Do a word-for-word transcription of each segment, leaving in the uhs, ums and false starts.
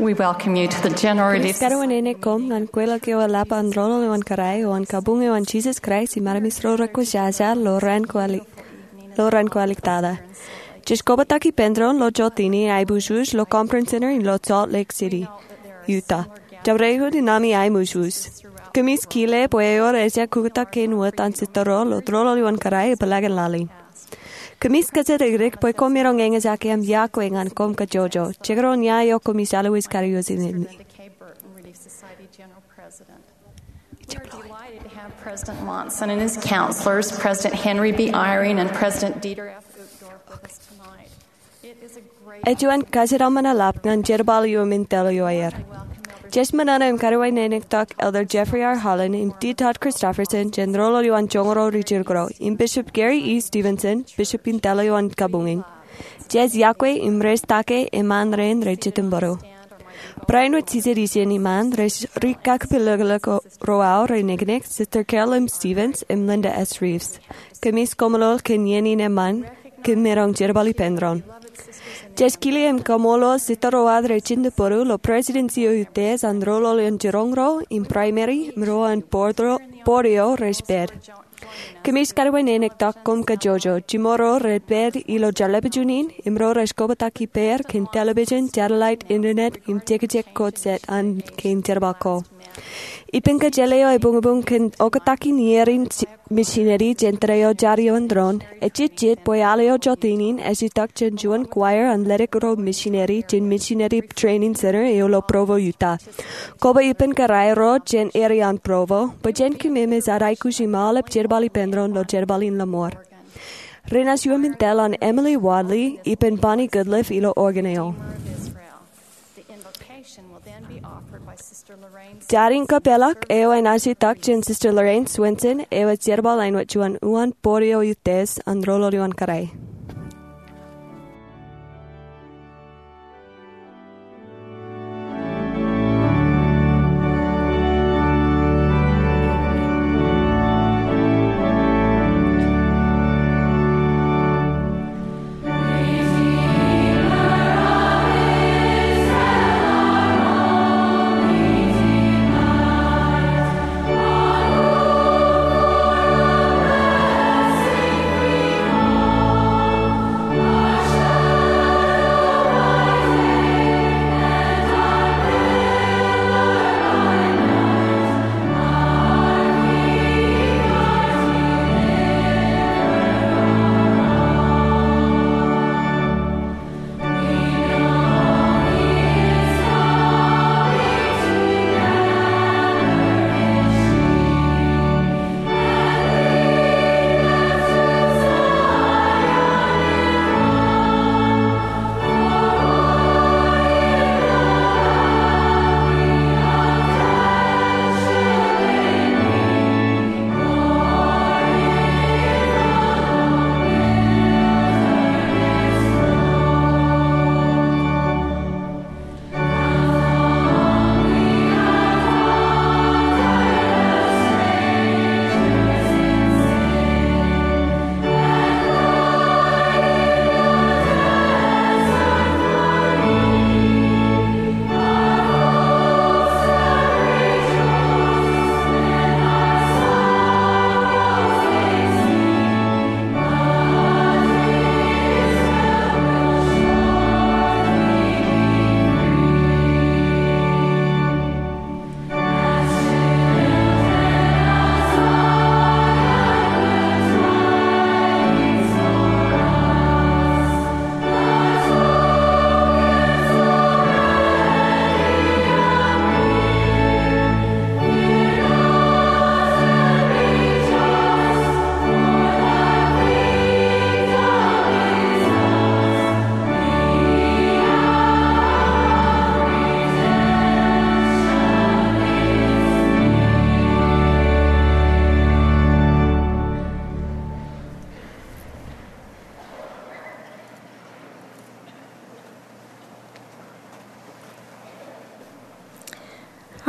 We welcome you to the general Kōmij release. Kōmij karuwainene koṃ ñan kweilọk eo eḷap an Roḷoḷ eo an Kōrā eo an Kabuñ eo an Jisōs Kraist im Armej ro rekwōjarjar ilo raan ko ālik, ilo raan ko āliktata. Jej kobatok ippān doon ilo jota in aiboojoj ilo Conference Center ilo Salt Lake City, Utah. Jabdewōt naan in aiboojoj. Kōmij kile bwe ewōr ejja kukkutak kein wōt an Sūtto Roḷ ilo Roḷoḷ eo an Kōrā ipōḷakin laḷ in. Kōmij kōjatdikdik bwe koṃ maroñ eñjake im iọkwe ñan koṃ kajjojo. Jekdọọn ia eo kōmij always kariwōj ñan. We are delighted to have President Monson and his counselors, President Henry B. Eyring and President Dieter F. Uchtdorf, with us tonight. Ej juon kajjitōk im eḷap ñan jerbal eo im indeeo eo aer. Jej ṃōṇōṇō im karuwainene tok Elder Jeffrey R. Holland im D. Todd Christofferson jān roḷoḷ eo an joñoul ro ri-Jewkro, im Bishop Gary E. Stevenson, Bishop indeeo eo an kabuñ in. Jej iọkwe im rejtake eṃṃaan rein rej jitōnbōro. Barāinwōt jijet ijin iṃaan rej rikakpeḷḷọk ro aō reneknek, Sister Carol M. Stevens im Linda S. Reeves. Kōmij koṃṃool kōn iien in eṃṃaan kōm maroñ jerbal ippān doon. Jej kile im kaṃṃoolol Sūtto ro ad rej jitōnbōro ilo Presidency eo Utiej an Roḷoḷ eo an Jiroñ ro im Primary im ro an board eo rej pād. Kōmij karuwainene tok koṃ kajjojo, jiṃor ro rej pād ilo television in im ro rej kobatok ippāer kōn television, satellite, internet im jekjek ko jet an kein jerbal ko. Ippān kōjjeḷā eo ebuñbuñ kōn oktak in iier in missionary jān tōre eo jar ioon doon, ejejjet bwe al eo jota in ej itok jān juon choir an ledik ro missionary jān Missionary Training Center eo ilo Provo, Utah. Koba ippān kōrā ro jān area an Provo bwe jen kōmemej ad aikuj im aolep jerbal ippān doon ilo jerbal in lọmọọr. Ri-nāš iuṃwin tōl an Emily Wadley ippān Bonnie Goodliff ilo organ eo. Jar in kapeḷḷọk eo enaaj itak jān Sister Lorraine Swenson eo ej jerbal āinwōt juon uwaan board eo Utiej an Roḷoḷ eo an Kōrā.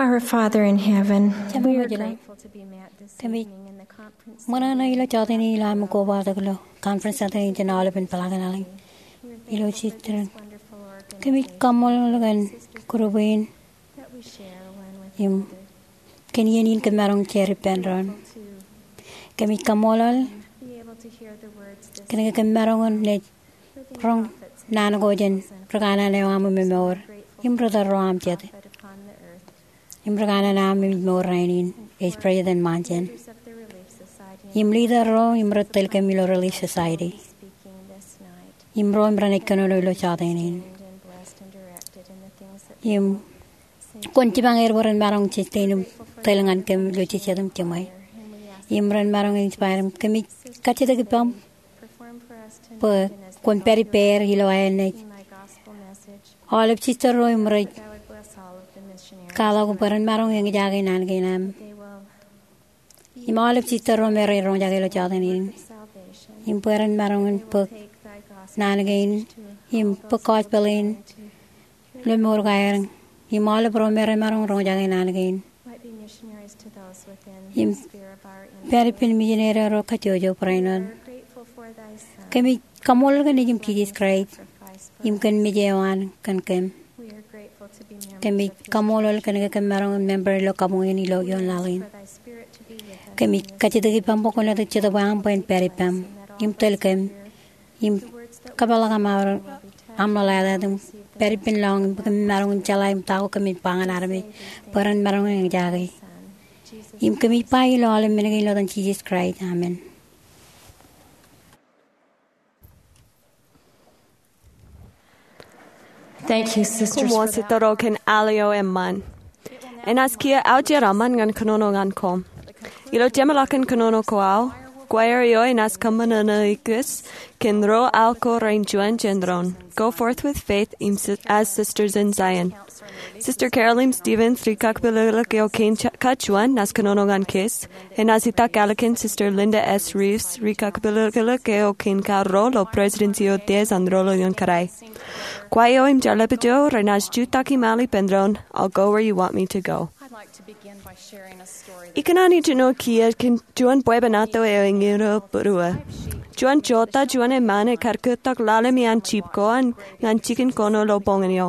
Our Father in heaven, we are grateful to be met this evening in the conference center. Kōmij ṃōṇōṇō ilo jota in ilo aṃ kobatok ilo conference center in jān aolepen pālōtlōt in ilo jitōñ. Kōmij kaṃṃoolol kōn group in im kōn iien in kōm maroñ jar ippān doon. Kōmij kaṃṃoolol kōn ke kōm maroñ in naaj roñ naan ko jān ri kanaan eo aṃ im emour im ri tōl ro aṃ jet im ri kanaan aṃ im emour rainin, ej President Monson im leader ro im rej tōl kōm ilo Relief Society im ro im renaaj kōnono ilo jota in. Im kwōn jipañ er bwe ren maroñ sustain im tōl ñan kōm ilo jejjet im jiṃwe. Im ren maroñ inspire im kōmij kajjitōk ippaṃ bwe kwōn pād ippāer ilo aer naaj aolep sister ro im rej kwaḷọk bwe ren maroñ eñjake naan kein aṃ im aolep sister ro me rej roñjake ilo jota in, im bwe ren maroñ in bōk naan kein im bōk gospel in ilo mour ko aer im aolep ro me rej maroñ roñjake naan kein im pād ippān misineri ro kajjojo barāinwōt. Kōmij kaṃṃoolol kōn Nejiṃ Jisōs Kraist im kōn mej eo an kōn kōm. Kōmij kaṃṃoolol kōn ke kōm maroñ in member ilo kabuñ in ilo ioon laḷ in. Kōmij kajjitōk ippaṃ bwe kwōn letok Jetōb eo aṃ bwe en pād ippaṃ im tōl kōm im kōpeḷḷọk aṃ, aṃ ḷōḷātāt im pād ippān lọñiṃ bwe kōmij maroñ in jeḷā im ta ko kōmij ba ñan armej bwe ren maroñ in eñjake. Im kōmij ba ilo aolep men kein ilo etan Jisōs Kraist, amen. Thank you, sisters, for that. Koṃṃool, sister ro, kōn al eo eṃṃan. Enaaj kiiō aujeraṃṃan ñan kōnono ñan koṃ. Ilo jeṃḷọkin kōnono ko aō, choir eo enaaj kōṃṃan ṇa ikkōj kōn ro al ko rein juon jān doon, Go Forth with Faith im Si-, as Sisters in Zion. Sister Carol im Stevens, ri kakpilōklōk eo kein ej kōj juon, naaj kōnono ñan kōj. Enaaj itak ālikin Sister Linda S. Reeves, ri kakpilōklōk eo kein kar ro ilo presidency eo teejañ ro ilo ioon kōrā. Choir eo im jar lepḷọk eo renaaj jutak im al ippān doon, I'll Go Where You Want Me to Go. Ikōṇaan ijeṇ eo kiiō kōn juon bwebwenato eo eñin eo būruō. Juon jota juon eṃṃan ekar kōttok ḷalem iaan jip ko an ñan jikin koṇo ilo boñin eo.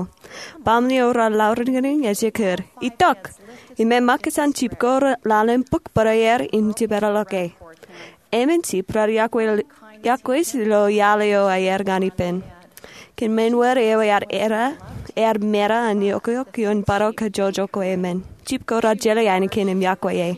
Baaṃle eo raar lauriñriñ ej ekkar, "Itok!" Im eṃṃakūt an jip ko ḷalem bōk bōrāer im jepeḷḷọk e. Emān jip raar iọkwe, iọkwe ilo iaḷ eo aer ñan ippān. Kōn men wōt eo ear era, ear mera an eokweok ioon bōro kajjojo ko emān. Jip ko raar jeḷā ainikien im iọkwe e.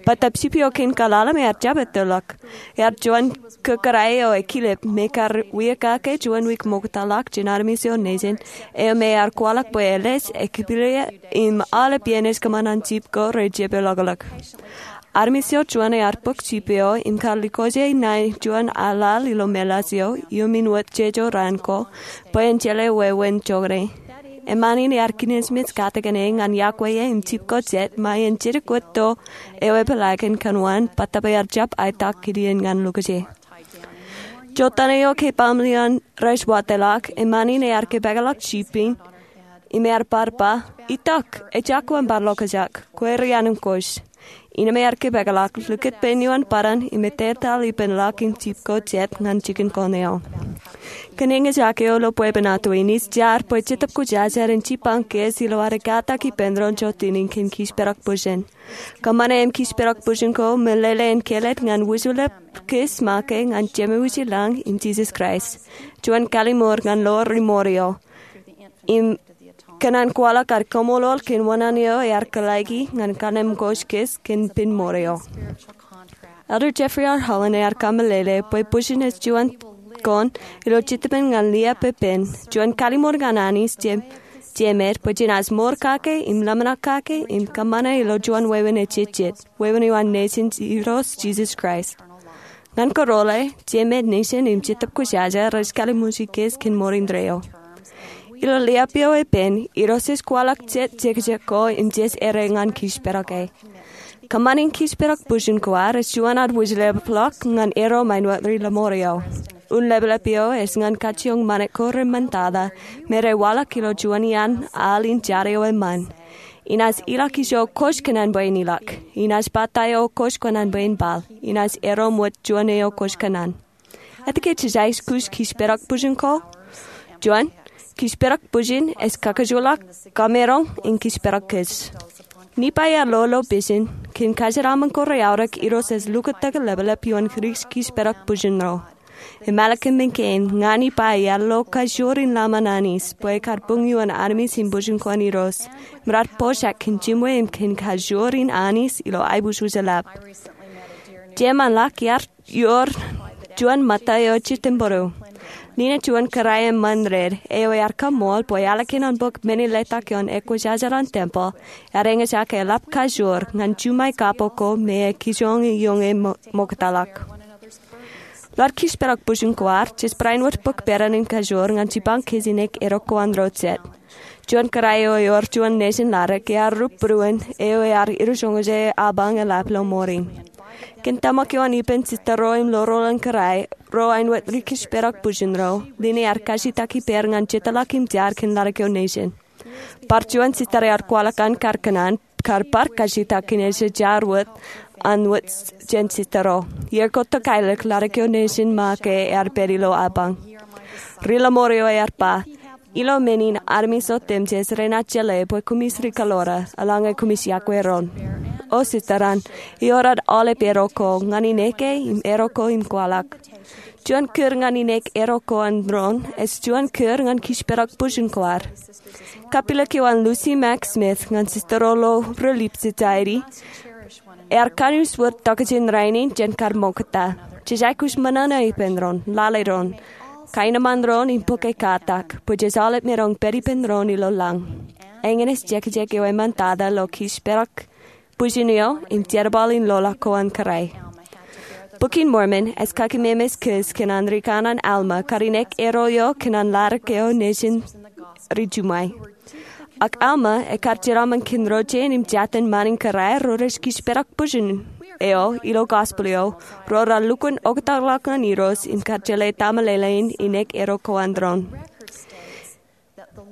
Bōtab jip eo kein kaḷalem ear jab ettoḷọk. Ear juon kōkkōrā eo ekilep me kar wia kake juon wiik ṃoktaḷọk jān armej eo nejin eo me ear kwaḷọk bwe elej, ekpilōk, im aolep iien ej kōṃṃan an jip ko rej jepeḷḷọkḷọk. Armej eo juon ear bōk jip eo im kar likoje ṇae juon aḷaḷ ilo meḷaaj eo iuṃwin wōt jeje raan ko bwe en jeḷā wāween joñan e. Eṃṃan in ear kinejmej katakin e ñan iọkwe e im jip ko jet ṃae en jidik wōt to eo epeḷaakin kōn waan bōtab ear jab aetak kidien ñan lukkuun e. Jotaan eo ke baaṃle eo rej watōḷọk, eṃṃan in ear kōpeḷḷọk jip in im ear bar ba, "Itok, ejako eṃ bar ḷokjak, kwe ri anemkwōj." Innām ear kōpeḷḷọk, likūt pein eo an bōran im etetaḷ ippān ḷọk in jip ko jet ñan jikin koṇe eo. Kōn eñjake eo ilo bwebwenato in, ij jar bwe Jetōb Kwōjarjar en jipañ kōj ilo ad katak ippān doon jota in kōn kij pedok bwijin. Kōṃṃane im kij pedok bwijin ko meḷeḷe in kāālōt ñan wūjlepḷọk kōj make ñan Jemem wūjlañ im Jisōs Kraist, juon kalliṃur ñan ḷoor ri mour eo. Im kōṇaan kwaḷọk ad kaṃṃoolol kōn wōṇāān eo ear kōḷaiki ñan kannemkwōj kōj kōn pen mour eo. Elder Jeffrey R. Holland ear kameḷeḷe bwe bwijin ej juon koṇ ilo jetōb in ñan liā pepen, juon kalliṃur ñan Anij Jemād, bwe jenaaj mour kake im ḷōmṇak kake im kōṃṃane ilo juon wāween ejejjet, wāween eo an Nejin Irooj Jisōs Kraist. Ñan kōrọọl e, Jemād, Nejin im Jetōb Kwōjarjar rej kalliṃurji kōj kōn mour indeeo. Ilo liā pio epen, Irooj ej kwaḷọk jet jekjek ko im jej errā ñan kij pedok e. Kōṃṃan in kij pedok bwijin ko ad ej juon ad wūjlepḷọk ñan erro ṃaen wōt ri lọmọọr eo. Un lepḷọk eo ej ñan kajjioñ ṃanit ko reṃṃantata me rej waḷọk ilo juon iaan al in jar eo eṃṃan. Inaaj ilọk ijo kwōj kōṇaan bwe en ilọk. Inaaj ba ta eo kwōj kōṇaan bwe en bōk. Inaaj erro ṃōj juon eo kwōj kōṇaan. Etke jej aikuj kij pedok bwijin ko? Juon, Kišpedọk bwijin ej kakajoḷọk kamaroñ in kišpedọk kōj. Nifai ear lo ilo pejin kōn kōjeraṃṃan ko reaorōk Irooj ej lukkuun ḷapḷap ioon ri kišpedọk bwijin ro. Im ālikin men kein, ña Nifai ear lo kajoor in laṃōn anij bwe ekar buñ ioon armej im bwijin ko an Irooj im raar pojak kōn jimwe im kōn kajoor in anij ilo aiboojoj ḷap. Jeṃaanḷọk iar ioor juon ṃōtta eo jitōnbōro. Linen juon kōrā eṃṃan red eo ear kaṃṃool bwe ālikin an bōk men in letak ioon ekwōjarjar an tempel, ear eñjake eḷap kajoor ñan juṃae kapo ko me ej kijoñ ioñe ṃoktata ḷọk. Ilo ad kišpedọk bwijin ko ad, jej barāinwōt bōk peran in kajoor ñan jipañ kōj in nek edok ko an ro jet. Juon kōrā eo ewōr juon nejin ḷadik ear rup būruon eo ear irojoñoje apañ eḷap ilo ṃoor in. Kōn tōmak eo an ippān sista ro im lorooḷ an kōrā ro āinwōt ri kišpedọk bwijin ro, Linen ear kajjitōk ippāer ñan jitōḷọk im jar kōn ḷadik eo nejin. Bar juon sista ear kwaḷọk an kar kōṇaan kar bar kajjitōk kōn ej jar wōt an wōt jān sista ro. Iar ko tōkailōk ḷadik eo nejin ṃaake ear pād ilo apañ. Ri ḷōṃoor eo ear ba, ilo men in armej otemjej renaaj jeḷā bwe koṃij ri kōḷoor, eḷaññe koṃij yokwe doon. O sista, ewōr ad aolep edok ko ñan ineke im edok ko im kwaḷọk. Juon kūr ñan ineke edok ko an doon ej juon kūr ñan kišpedọk bwijin ko ad. Kapilōk eo an Lucy Mack Smith ñan sista ro ilo Relief Society ear kanooj wōt tokjān rainin jān kar ṃoktata. Jej aikuj ṃōṇōṇō ippān doon, lale doon, kaenōṃṃan doon im bōk katak bwe jej aolep maroñ pād ippān doon ilo lañ. Eñin ej jekjek eo eṃṃantata ilo kišpedọk bwijin eo im jerbal in loḷọk ko an kōrā. Bok in Mormon ej kakememej kōj kōn an ri kanaan Alma kar inek eddo eo kōn an ḷadik eo nejin ri juṃae. Ak Alma ekar jeraṃṃan kōn ro jein im jatin ṃaan in kōrā ro rej kišpedọk bwijin eo ilo gospel eo, ro raar lukkuun oktakḷọk ñan Irooj im kar jeḷā tōmālele in inek eddo ko an doon.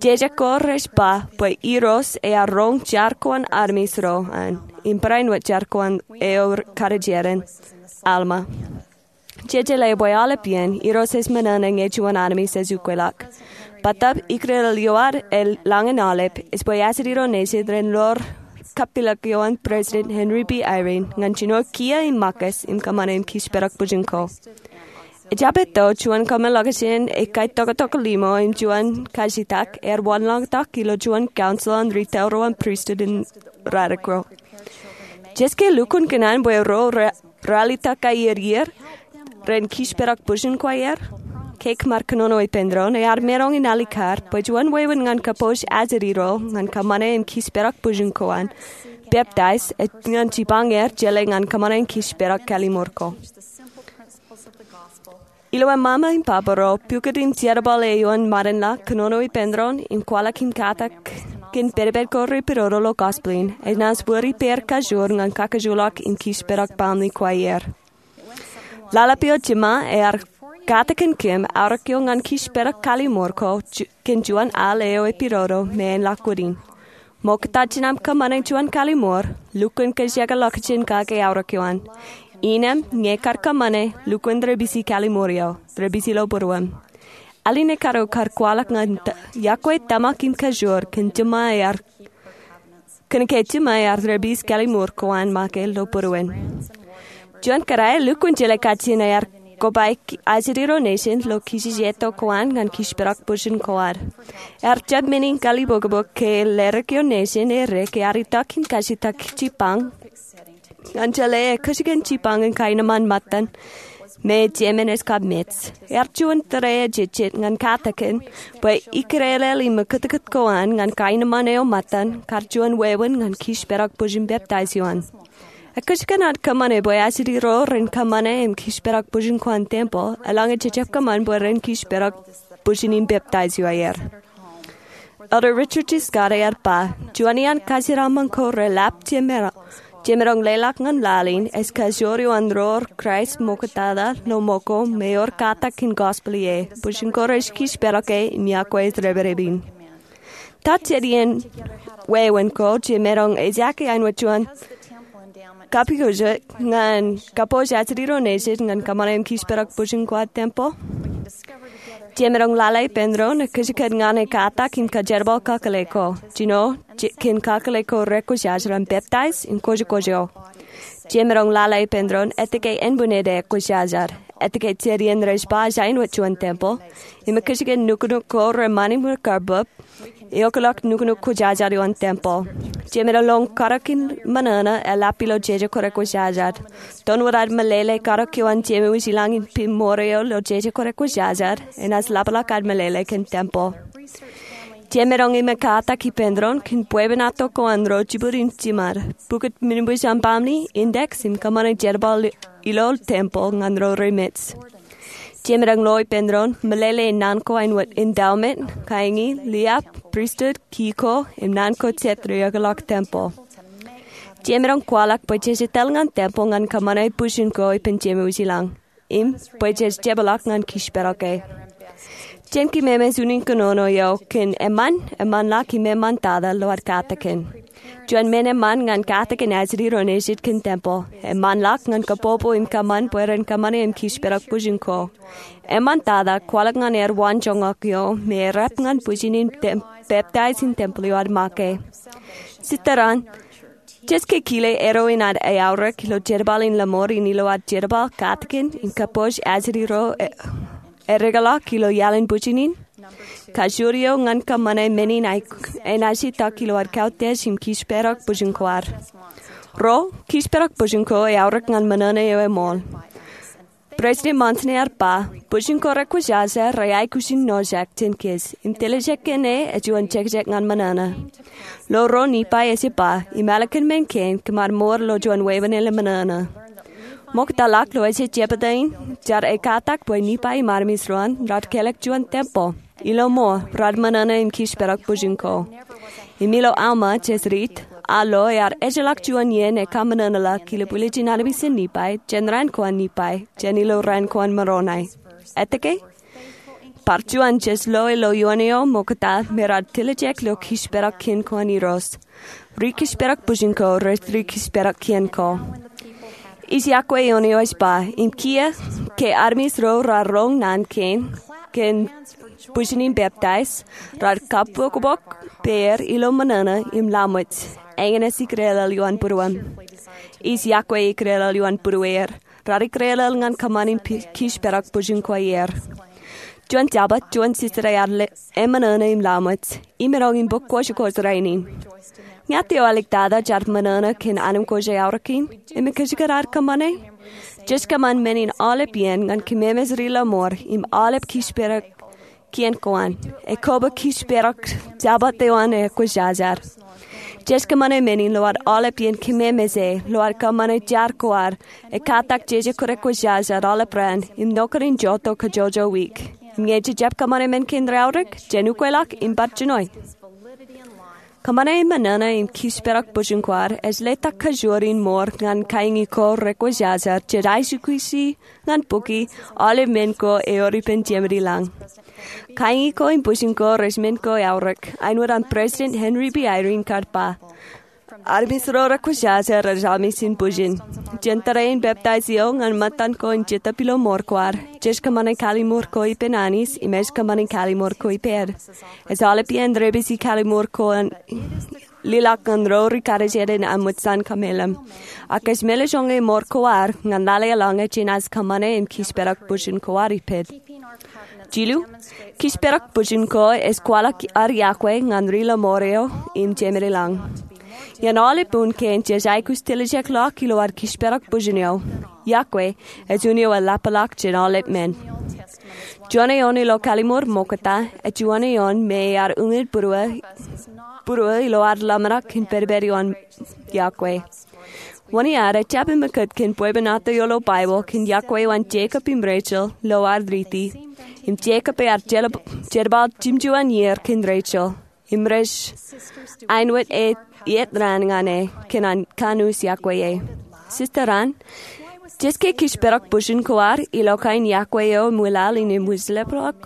Jejek ko rej ba bwe Irooj ear roñ jar ko an armej ro an im barāinwōt jar ko an eo karijeran Alma. Jej jeḷā bwe aolep iien Irooj ej ṃōṇōṇō ñe juon armej ej ukweḷọk. Bōtab ikōrā eo ad ej lañ in aolep ej bwe ajri ro nejin ren lor kapilōk eo an President Henry B. Eyring ñan jino kiiō im makos im kōṃṃane im kišpedọk bwijin ko. Ejjab etto juon kōṃṃan ḷọkjein ekaitoktok limo im juon kajjitōk ear wanlañtok ilo juon council an ri tōl ro an pristut in rādik ro. Jej ke lukkuun kōṇaan bwe ro ra-, ralitōk aer iien ren kišpedọk bwijin ko aer? Ke kōṃṃan kōnono ippān doon, ear maroñ in alikkar bwe juon wāween ñan kappoj ajri ro ñan kōṃṃane im kišpedọk bwijin ko an peptaij ej ñan jipañ er jeḷā ñan kōṃṃane im kišpedọk kalimour ko. Ilo eṃṃan im baba ro, pukot im jerbal eo an ṃaanḷọk kōnono ippān doon im kwaḷọk im katak kōn pedped ko repidodo ilo gospel in, enaaj wōr ippāer kajoor ñan kakajoorḷọk im kišpedọk baaṃle ko aer. Ḷaḷap eo jiṃa ear katakin kōm aorōk eo ñan kišpedọk kalimour ko ju-, kōn juon al eo epidodo me en ḷak wūnin. Ṃokta jān aṃ kōṃṃane juon kalimour, lukkuun kōjjekḷọk jān kake aorōk eo an. Innām ñe kar kōṃṃane, lukkuun rej pisi kalimour eo, rej pisi ilo būruōṃ. Ālikin ekkar eo kar kwaḷọk ñan ta-, yokwe tōmak im kajoor kōn jiṃa ear kōn ke jiṃa ear rej pisi kalimour ko an make ilo būruōṃ. Juon kōrā, lukkuun jeḷā kajjien ear kobaik ajri ro nejin ilo kijejeto ko an ñan kišpedọk bwijin ko ad. Ear jab men in kalibokbok ke ledik eo nejin edik ear itok im kajjitōk jipañ ñan jeḷā ekkejkan jipañ in kaenōṃṃan ṃōttan me ej emān ej kab mej. Ear juon tōre eo jejjet ñan katakin bwe ikōlel im ekkōtkōt ko an ñan kaenōṃṃan eo ṃōttan kar juon wāween ñan kišpedọk bwijin peptaij eo an. Ekkejkan ad kōṃṃane bwe ajri ro ren kōṃṃane im kišpedọk bwijin ko an tempel, eḷaññe jejjab kōṃṃan bwe ren kišpedọk bwijin im peptaij eo aer. Elder Richard G. Scott ear ba, juon iaan kōjeraṃṃan ko reḷap jemaroñ, jemaroñ leḷọk ñan laḷ in ej kajoor eo an ro rej Kraist ṃoktata ilo ṃōko me ewōr katak in gospel ie, bwijin ko rej kišpedọk e im yokwe ej dāpdep in. Ta jet iien wāween ko jemaroñ ejake āinwōt juon kapijukjuk ñan kappoj ajri ro nejin ñan kōṃṃane im kišpedọk bwijin ko an tempel? Jemaroñ lale ippān doon ekkejkej ñan e katak im kajerbal kakōḷḷe ko. Jino, kōn kakōḷḷe ko rekwōjarjar im peptaij im kwōjkwōj eo. Jemaroñ lale ippān doon etke ānbwinned ekwōjarjar, etke jet iien rej ba ej aenwōt juon tempel, im ekkejkej nuknuk ko reṃṃan im karbōb, eokḷọk nuknuk kwōjarjar ioon tempel. Jemaroñ karōk in ṃōṇōṇō eḷap ilo jeje ko rekwōjarjar. Doon wōt ad meḷeḷe karōk ioon Jemem wōj i lañ im pin ṃoor eo ilo jeje ko rekwōjarjar, enaaj ḷapḷọk ad meḷeḷe kōn tempel. Jemaroñ ṃōk katak ippān doon kōn bwebwenato ko an ro jibwid im jiṃad, pukot men in bwij aṃ baaṃle, index, im kōṃṃane jerbal ilo tempel ñan ro remej. Jemaroñ lo ippān doon meḷeḷe naan ko āinwōt endowment, kaiñi, liab, priesthood, ki ko, im naan ko jet rej eokḷọk tempel. Jemaroñ kwaḷọk bwe jej etal ñan tempel ñan kōṃṃane bwijin ko ippān Jemem wōj i lañ, im bwe jej jepḷọk ñan kōjparok e. Jen kememej unin kōnono eo kōn eṃṃan, eṃṃanḷọk im eṃṃantata ilo ad katakin. Juon men eṃṃan ñan katakin ajri ro nejid kōn tempel. Eṃṃanḷọk ñan kabbokbok im kōṃṃan bwe ren kōṃṃane im kōjparok bwijin ko. Eṃṃantata kwaḷọk ñan aer waanjoñak eo me errep ñan bwijin in peptaij in tempel eo ad make. Sista Rand, jej ke kile erro in ad eaorōk ilo jerbal in lọmọọr in ilo ad jerbal katakin im kabbokbok ajri ro ereḷọk ilo iaḷ in bwijin in? Kajoor eo ñan kōṃṃane men in enaaj itok ilo ad kautiej im kōjparok bwijin ko ad. Ruo, kōjparok bwijin ko eaorōk ñan ṃōṇōṇō eo eṃool. President Monson ear ba, bwijin ko rekwōjarjar rej aikuj in nojak jān kōj, im tiljek kōn e ej juon jekjek ñan ṃōṇōṇō. Lo ruo Nipai ej ba, im ālikin men kein kōmar mour ilo juon weeppān ṃōṇōṇō. Ṃoktaḷọk ilo ej jebta in, jar ekatak bwe Nipai im armej ro an rar kelek juon tempel ilo ṃool rar ṃōṇōṇō im kōjparok bwijin ko. Im ilo Alma, jej riit, a lo ear ejjeḷọk juon iien ekaṃōṇōṇōḷọk ilo bwiljin armej in Nipai jān raan ko an Nipai jān ilo raan ko an Moronai. Etke? Bar juon, jej lo ilo ioon eo ṃokta me rar tiljek ilo kōjparok kien ko an Irooj. Ri-kōjparok bwijin ko rej ri-kōjparok kien ko. Ij iọkwe ioon eo ej ba, im kiiō, ke armej ro rar roñ naan kein kōn bwijin in peptaij, rar kabbokbok peer ilo ṃōṇōṇō im laṃōj, eñin ej ikdeḷọḷ ioon būruōm. Ij iọkwe ikdeḷọḷ ioon būrueer, rar ikdeḷọḷ ñan kōṃṃan im kōjparok bwijin ko aer. Juon Jabōt, juon sista ear eṃōṇōṇō im laṃōj, im eroñ in bōk kwōjkwōj rainin. Ña eo āliktata jar ṃōṇōṇō kōn anemkwōj eaorōk in, im ekkejkej ad kōṃṃane? Jej kōṃṃan men in aolep iien ñan kememej ri-lọmọọr im aolep kōjparok kien ko an. Ekōbōk kōjparok Jabōt eo an ekwōjarjar. Jej kōṃṃane men in ilo ad aolep iien kememej e, ilo ad kōṃṃane jar ko ad, ekatak jeje ko rekwōjarjar aolep raan, im nokwe in jota kajjojo wiik. Im ñe jej jab kōṃṃane men kein reaorōk, jen ukweḷọk im bar jinoe. Kōṃṃane ṃōṇōṇō im kōjparok bwijin ko ad ej letok kajoor in mour ñan kaiñi ko rekwōjarjar jej aikuji ñan bukwi aolep men ko ewōr ippān Jemān i lañ. Kaiñi ko im bwijin ko rej men ko eaorōk, āinwōt an President Henry B. Eyring kar ba, armej ro rekwōjarjar rej armej in bwijin. Jān tōre in peptaij eo ñan ṃōttan ko in jetōb ilo mour ko ad, jej kōṃṃane kallimur ko ippān Anij im ej kōṃṃane kallimur ko ippād. Ej aolep iien rej pād ilo kallimur ko an lelọk ñan ro ri-karijeran aṃ ṃōj an kameḷeḷe. Ak ej meḷeḷe joñe mour ko ad ñan lale eḷaññe jenaaj kōṃṃane im kōjparok bwijin ko ad ippād. Jilu, kōjparok bwijin ko ej kwaḷọk ad iọkwe ñan ri-lọmọọr eo im Jemān i lañ. Ian aolep un kein jej aikuj tiljekḷọk ilo ad kōjparok bwijin eo. Iọkwe ej un eo eḷapḷọk jān aolep men. Juon eoon ilo kallimur ṃokta, ej juon eoon me ear uñid būruō ilo ad ḷōmṇak kōn pedped ioon iọkwe. Wōn iar jab ṃōkūt kōn bwebwenato eo ilo Baibōḷ kōn iọkwe eo an Jekob im Rachel ilo ad riiti. Im Jekob ear jerbal jimjuon iiō kōn Rachel. Im rej āinwōt ej iiet raan ñan e kōn an kanooj iọkwe e. Sista Rand, jej ke kōjparok bwijin ko ad ilo kain iọkwe eo im wilaḷ in im wūjlepḷọk?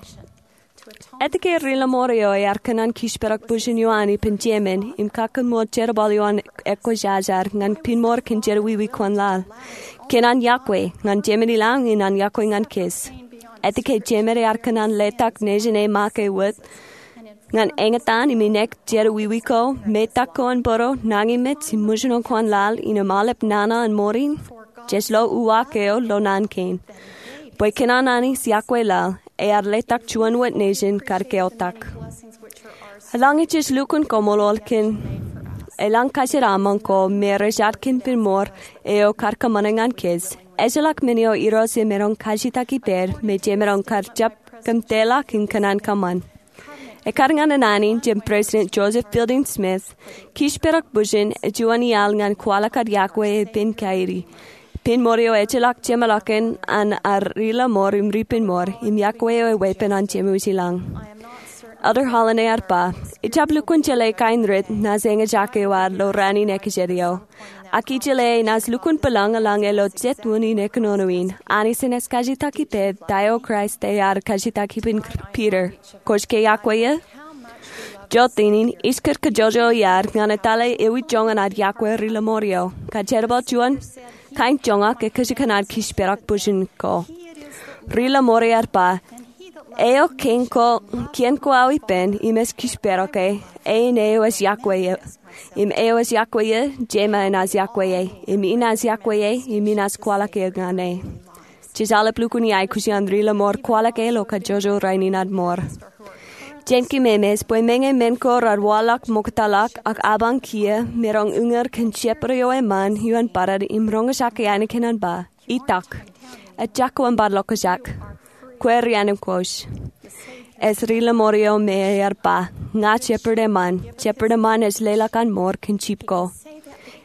Etke ri-lọmọọr eo ear kōṇaan kōjparok bwijin eo an ippān Jemān im kakkōṃṃan jerbal eo an ekwōjarjar ñan pin mour kōn jerọwiwi ko an laḷ? Kōn an iọkwe ñan Jemān i lañ im an iọkwe ñan kōj. Etke jemed ear kōṇaan letak nejin e make wōt ñan eñtaan im inek jed wiwi ko, metak ko an bōro, nañinmej im mōjṇo ko an laḷ innām aolep nana an mour in? Jej lo uwaak eo ilo naan kein. Bwe kōn an Anij yokwe laḷ, ear letak juon wōt nejin kar keotak. Eḷaññe jej lukkuun koṃṃool kōn eḷaññe kajjitōk aṃ ko me rej jatkin pen mour eo kar kōṃṃane ñan kōj, ejjeḷọk men eo Irooj emaroñ kajjitōk ippād me jemaroñ kar jab kōmtōḷọk im kōṇaan kōṃṃan. Ekkar ñan naan in jān President Joseph Fielding Smith, kijepaak bwijin ej juon iaḷ ñan kwaḷọk ad yokwe epen kain in. Pen mour eo ejjeḷọk jeṃḷọkin an ad ri-lọmọọr im ri-penmour, im yokwe eo eweeppān an Jemem ilañ. Elder Holland ear ba, ij jab lukkuun jeḷā kain rit naaj eñjake wōt ilo raan in ekōjed eo. Ak ij jeḷā naaj lukkuun bōlañ eḷaññe ilo jet unin e kōnono in, Anij enaaj kajjitōk ippād ta eo Kraist ear kajjitōk ippān Peter. Kwōj ke yokwe e? Jota in, ij kar kajjojo iaad ñan etale ewi joñan ad yokwe ri-lọmọọr eo. Kōn jerbal juon kain joñak ekōjkan ad kijepaak bwijin ko. Ri-lọmọọr ear ba, eo kien ko, kien ko aō ippān im ej kijepaak e, eñin eo ej yokwe e. Im eo ej yokwe e, jema enaaj yokwe e. Im inaaj yokwe e, im inaaj kwaḷọk e ñan e. Jej aolep lukkuun iaikuj iaan ri-lọmọọr kwaḷọk e ilo kajjojo rainin ad mour. Jen keememej bwe meñe men ko raar waḷọk ṃoktata ak apañ kiiō, maroñ uñūr kōn shepherd eo eṃṃan ioon barād im roñjake ainikien an ba, itak, ejako im bar ḷokjak. Kwe ri-anemikwōj. Ej ri-lọmọọr eo me ear ba, ña shepherd eṃṃan, shepherd eṃṃan ej leḷọk an mour kōn jip ko.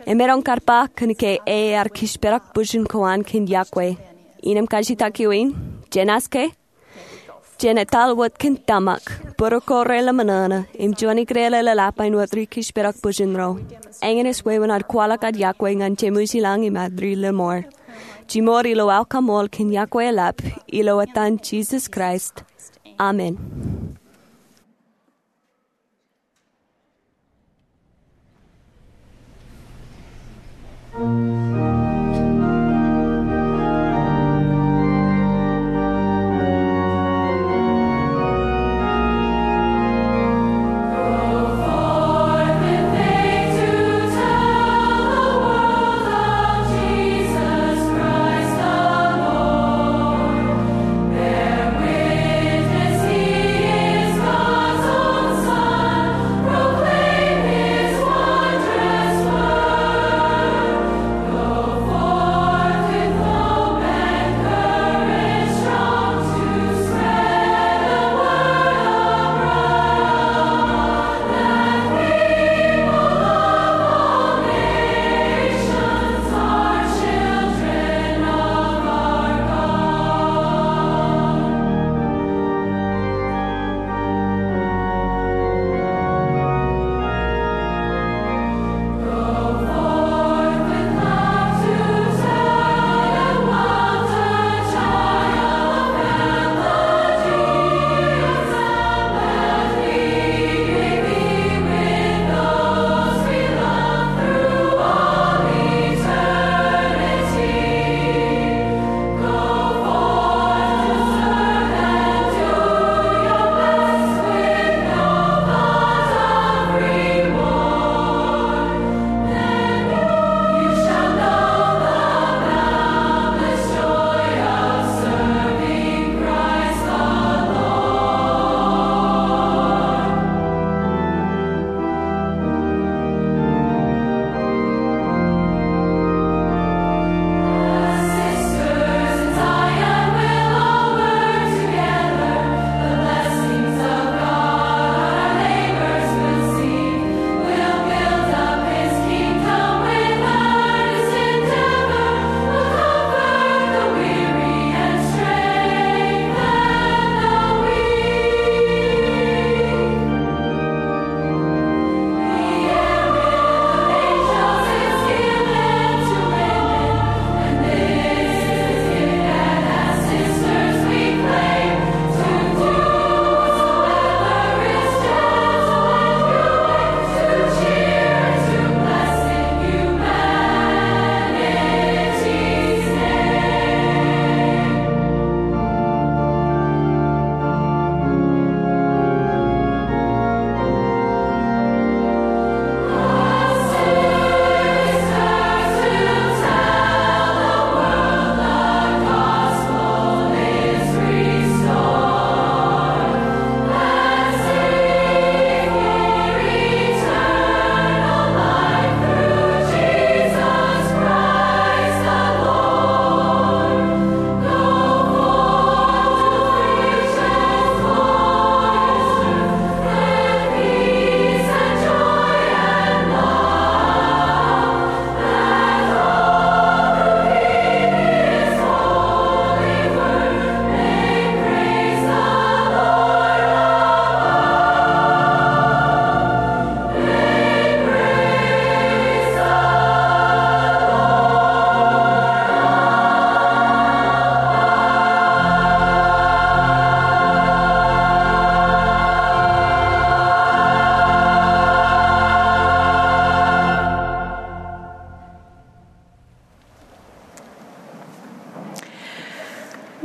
Emaroñ kar ba kōn ke e ear kijepaak bwijin ko an kōn yokwe. Innām kajjitōk eo in, jen aske? Jen etal wōt kōn tōmak, bōro ko reḷōmṇōṇō, im juon ikōṇaan eḷap āinwōt ri-kijepaak bwijin ro. Eñin ej wāween ad kwaḷọk ad yokwe ñan Jemem ilañ im ad ri-lọmọọr. Jimour ilo aō kaṃool kōn yokwe eḷap, ilo etan Jisōs Kraist. Amen.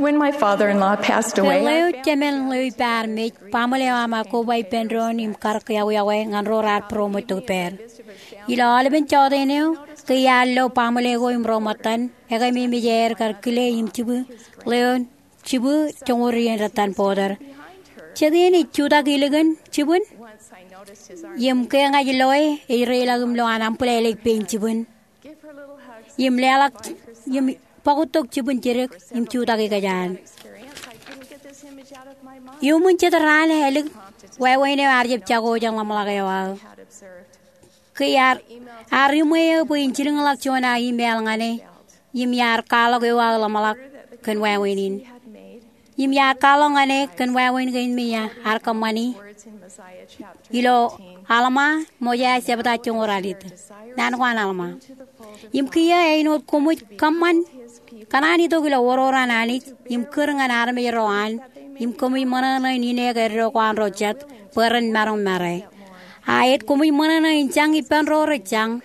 When my father-in-law passed away, ke ḷeo jemān ḷeo ippāer mej, baaṃle eo aṃ ear koba ippān doon im karōk yokwe ñan ro raar būroṃōj tok pād. Ilo aolepen jọteen eo, ke iar lo baaṃle ko im ro ṃōttan, ekememej aer kar kile im jibwi ḷeoon, jibwi joñoul iien rōttan bọtōr. Jet iien ej jutak ilikin jibwin, im ke ña ij loe, ej reiḷọk im lo an aṃ bōlālō pein jibwin im leḷọk im bọktok jibwin jidik im jutak ikōjaan. Iuṃwin jet raan ālik, wāween eo ear jab jako jān ḷōmṇak eo aō. Ke ear, ear iṃwe eō bwe in jilkinḷọk juon aō email ñan e, im iar kwaḷọk eo aō ḷōmṇak kōn wāween in. Im iar kwaḷọk ñan e kōn wāween kein me ear kōṃṃani ilo Alma, Mojai jebta joñoul ralitōk. Naan ko an Alma. Im kiiō āinwōt koṃij kōṃṃan kōṇaan itok ilo oror an Anij, im kūr ñan armej ro an, im koṃij ṃōṇōṇō in ine ke eddo ko an ro jet, bwe ren maroñ mare. Aet koṃij ṃōṇōṇō in jañ ippān ro rej jañ.